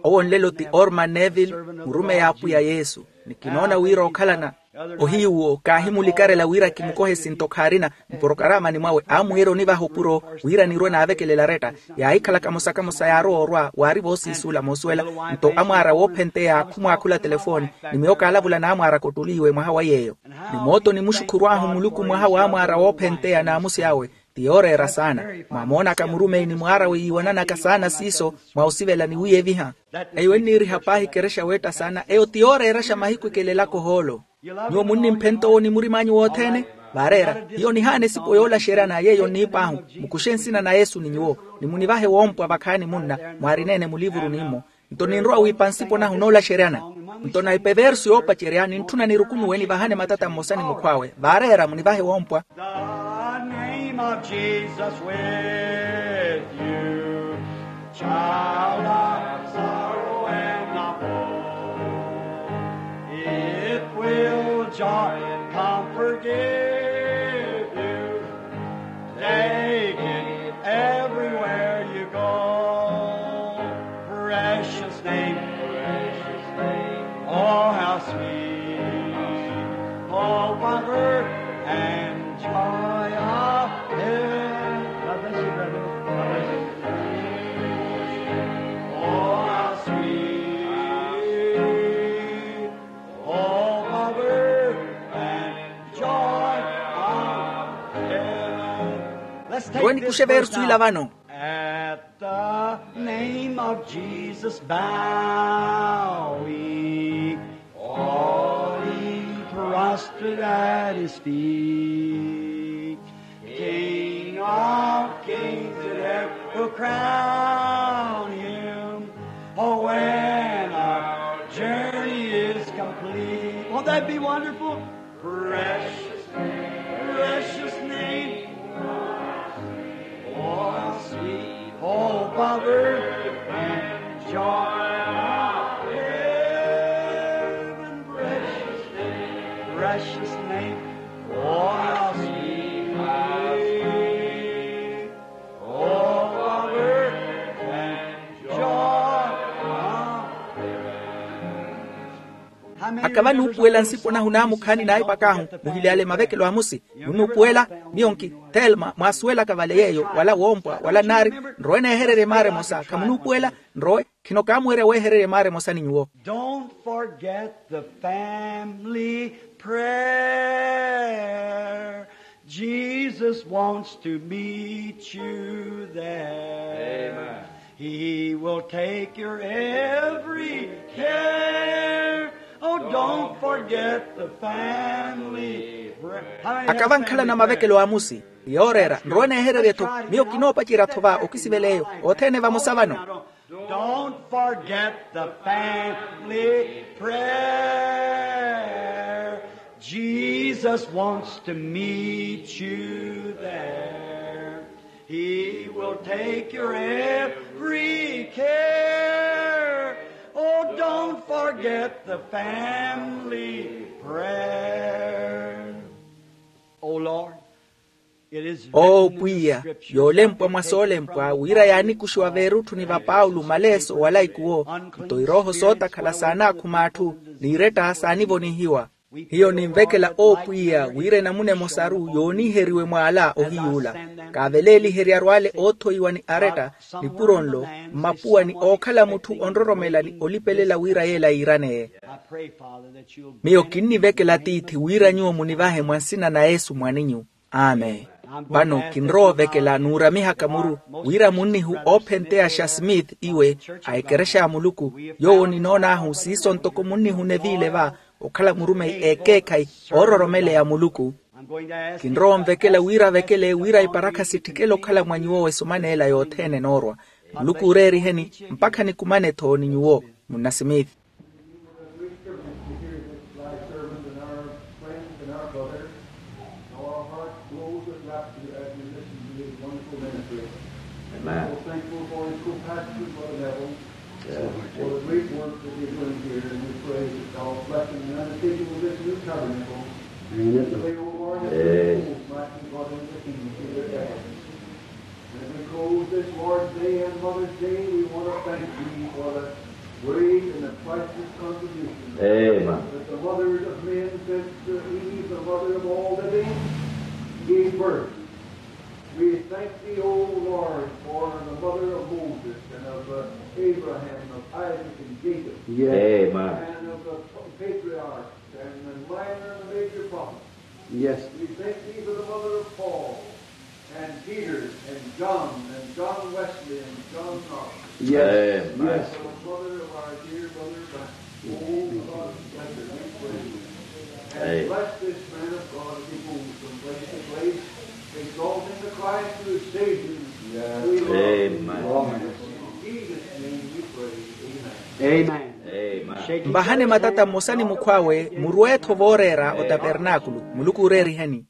Owo nlelo ti orman neville, murumeyi a apwiya yesu. Ni kinoona wira okhalana ohiyuwo kaahimulikarela wira kimukohe esinto khaarina. Mporokaraamani mwawe aamwiira onivaha opuro wira nirwe naavekelela aretta. Yaahikhala kamosa kamosa yaarowa orwa waari voosiisuula moosuwela. Nto amwaara woophenteya khumwaakhula telefooni ni miyo kaalavula n'amwaaraka ottoliiwe mwaha wa yeeyo. Ni mootoni muxukhurw'ahu muluku mwaha w'amwaara woophenteya n'amusi awe. Ti yooreera saana. Mwamoonaka murumeyi ni mwaar'awe yiiwananaka saana siiso mwa osivela ni wiiyeviha. Eyo enniiriha paahi ekerexa weetta saana eyo ti yooreeraxa mahiku ekelelaka ohoolo. Nyuwo munnimphenta owo ni murim'anyu wothene. Vaareera hiyo nihaana esipo yoolaxeryana yeeyo nniip'ahu. Mukuxe nsina na yesu ni nyuwo ni munivahe woompwa vakhaani munna mwaarina-ene mulivuruni-mo. Nto ninrowa wiipa nsipo nahu noolaxeryana. Nto naipa eversu yoopacerya nintthuna nirukunuwe nivahane matata mmosa ni mukhw'awe vaareera munivahe woompwa. The name of Jesus with you, child of sorrow and of woe. It will joy and comfort give you. Take it everywhere you go. Precious name. Oh, how sweet. Hope of earth and joy of heaven. God bless you, brother. God bless you. Oh, how sweet. Hope of earth and joy of heaven. Let's take this verse now. At the name of Jesus bowing, all ye prostrate at his feet. King of kings in heaven will crown him. Oh, when our journey is complete. Won't that be wonderful? Precious, precious name. Oh, sweet hope of earth and joy of heaven. Precious name, precious name. Oh, how sweet, how sweet. Oh, how earth and joy of heaven. Kavanuupuwela nsipo nahu naamukhaani naipak'ahu muhili ale mavekelo amusi. Munuupuwela? Miyo nki? Thelma, mwaasuwelaka vale yeeyo wala woompwa wala nnaari. Nrowe neehererye maara emosa khamunuupuwela? Nrowe. Khino kaamuwerya weehererye maara emosa ni nyuwo. Don't forget the family prayer. Jesus wants to meet you there. He will take your every care. Oh, don't forget the family prayer. Akava nkhalana mavekelo amusi. Yooreera nrowe neehererye-tho. Miyo kinoopacerya-tho va okisivela eyo othene vamosa vano. Don't forget the family prayer. Jesus wants to meet you there. He will take your every care. Oh, don't forget the family prayer. Oh, Lord. Owo pwiya, yoolempwa mwa soolempwa wira yaanikuxiwa veerutthuni va paulo maleeso wala ikuwo. Nto irooho sootakhala saanaakhumatthu, n'iretta saanivonihiwa. Hiyo ninvekela owo pwiya wira enamuna emosaru yooniheriwe mwaala ohiyuula. Kaaveleeliheryaru ale oothoiwa ni aretta, nipuro nlo, mmapuwa ni ookhala mutthu onroromela ni olipelela wira yeela yiiraneye. Miyo kinnivekela tiithi wira nyuwo munivahe mwa nsina na yesu mwaninyu. Amen. Vano kinrowa ovekela nuuramihaka muru wira munnihu oophenteyaxa smith iwe a ekerexa ya muluku, yoowo ninoon'ahu siiso ntoko munnihu neviile va okhala murumeyi ekeekhayi oororomeleya muluku. Kinrowa onvekela wira avekele wira iparakha sitthikele okhala mwa nyuwo esoma n'ela yothene enoorwa. Muluku ooreeriheni mpakha nikumane-tho ni nyuwo. Munna smith. It's a great privilege to hear this thy servant and our friend and our brother. Our hearts glows with rapture as we listen to his wonderful ministry. Amen. So thankful for his co-pastor, Brother Neville, yes, for the great work that he's doing here, and we pray that thou bless him in the undertaking of this new tabernacle. Amen. Pray, O Lord, that his souls might be brought into the kingdom through their efforts. As we close this Lord's Day and Mother's Day, we want to thank Thee for the great and the priceless contribution, amen, that the mothers of men since, uh, Eve, the mother of all living, gave birth. We thank Thee, O Lord, for the mother of Moses and of, uh, Abraham, of Isaac and Jacob, yes, amen, and of the patriarchs and the minor and the major prophets. Yes. We thank Thee for the mother of Paul and Peter and John and John Wesley and John Knox. Yes. Amen. Yes. For the mother of our dear brother Branham. Oh, God, bless her, we pray. And, amen, bless this man of God as he moves from place to place, exalting the Christ who is Savior. Yes. We love Him. Amen. In Jesus' name we pray. Amen. Amen. Amen. Mbahane matata mmosa ni mukhw'awe, murwe-tho vooreera otapernaakulu. Muluku ooreeriheni.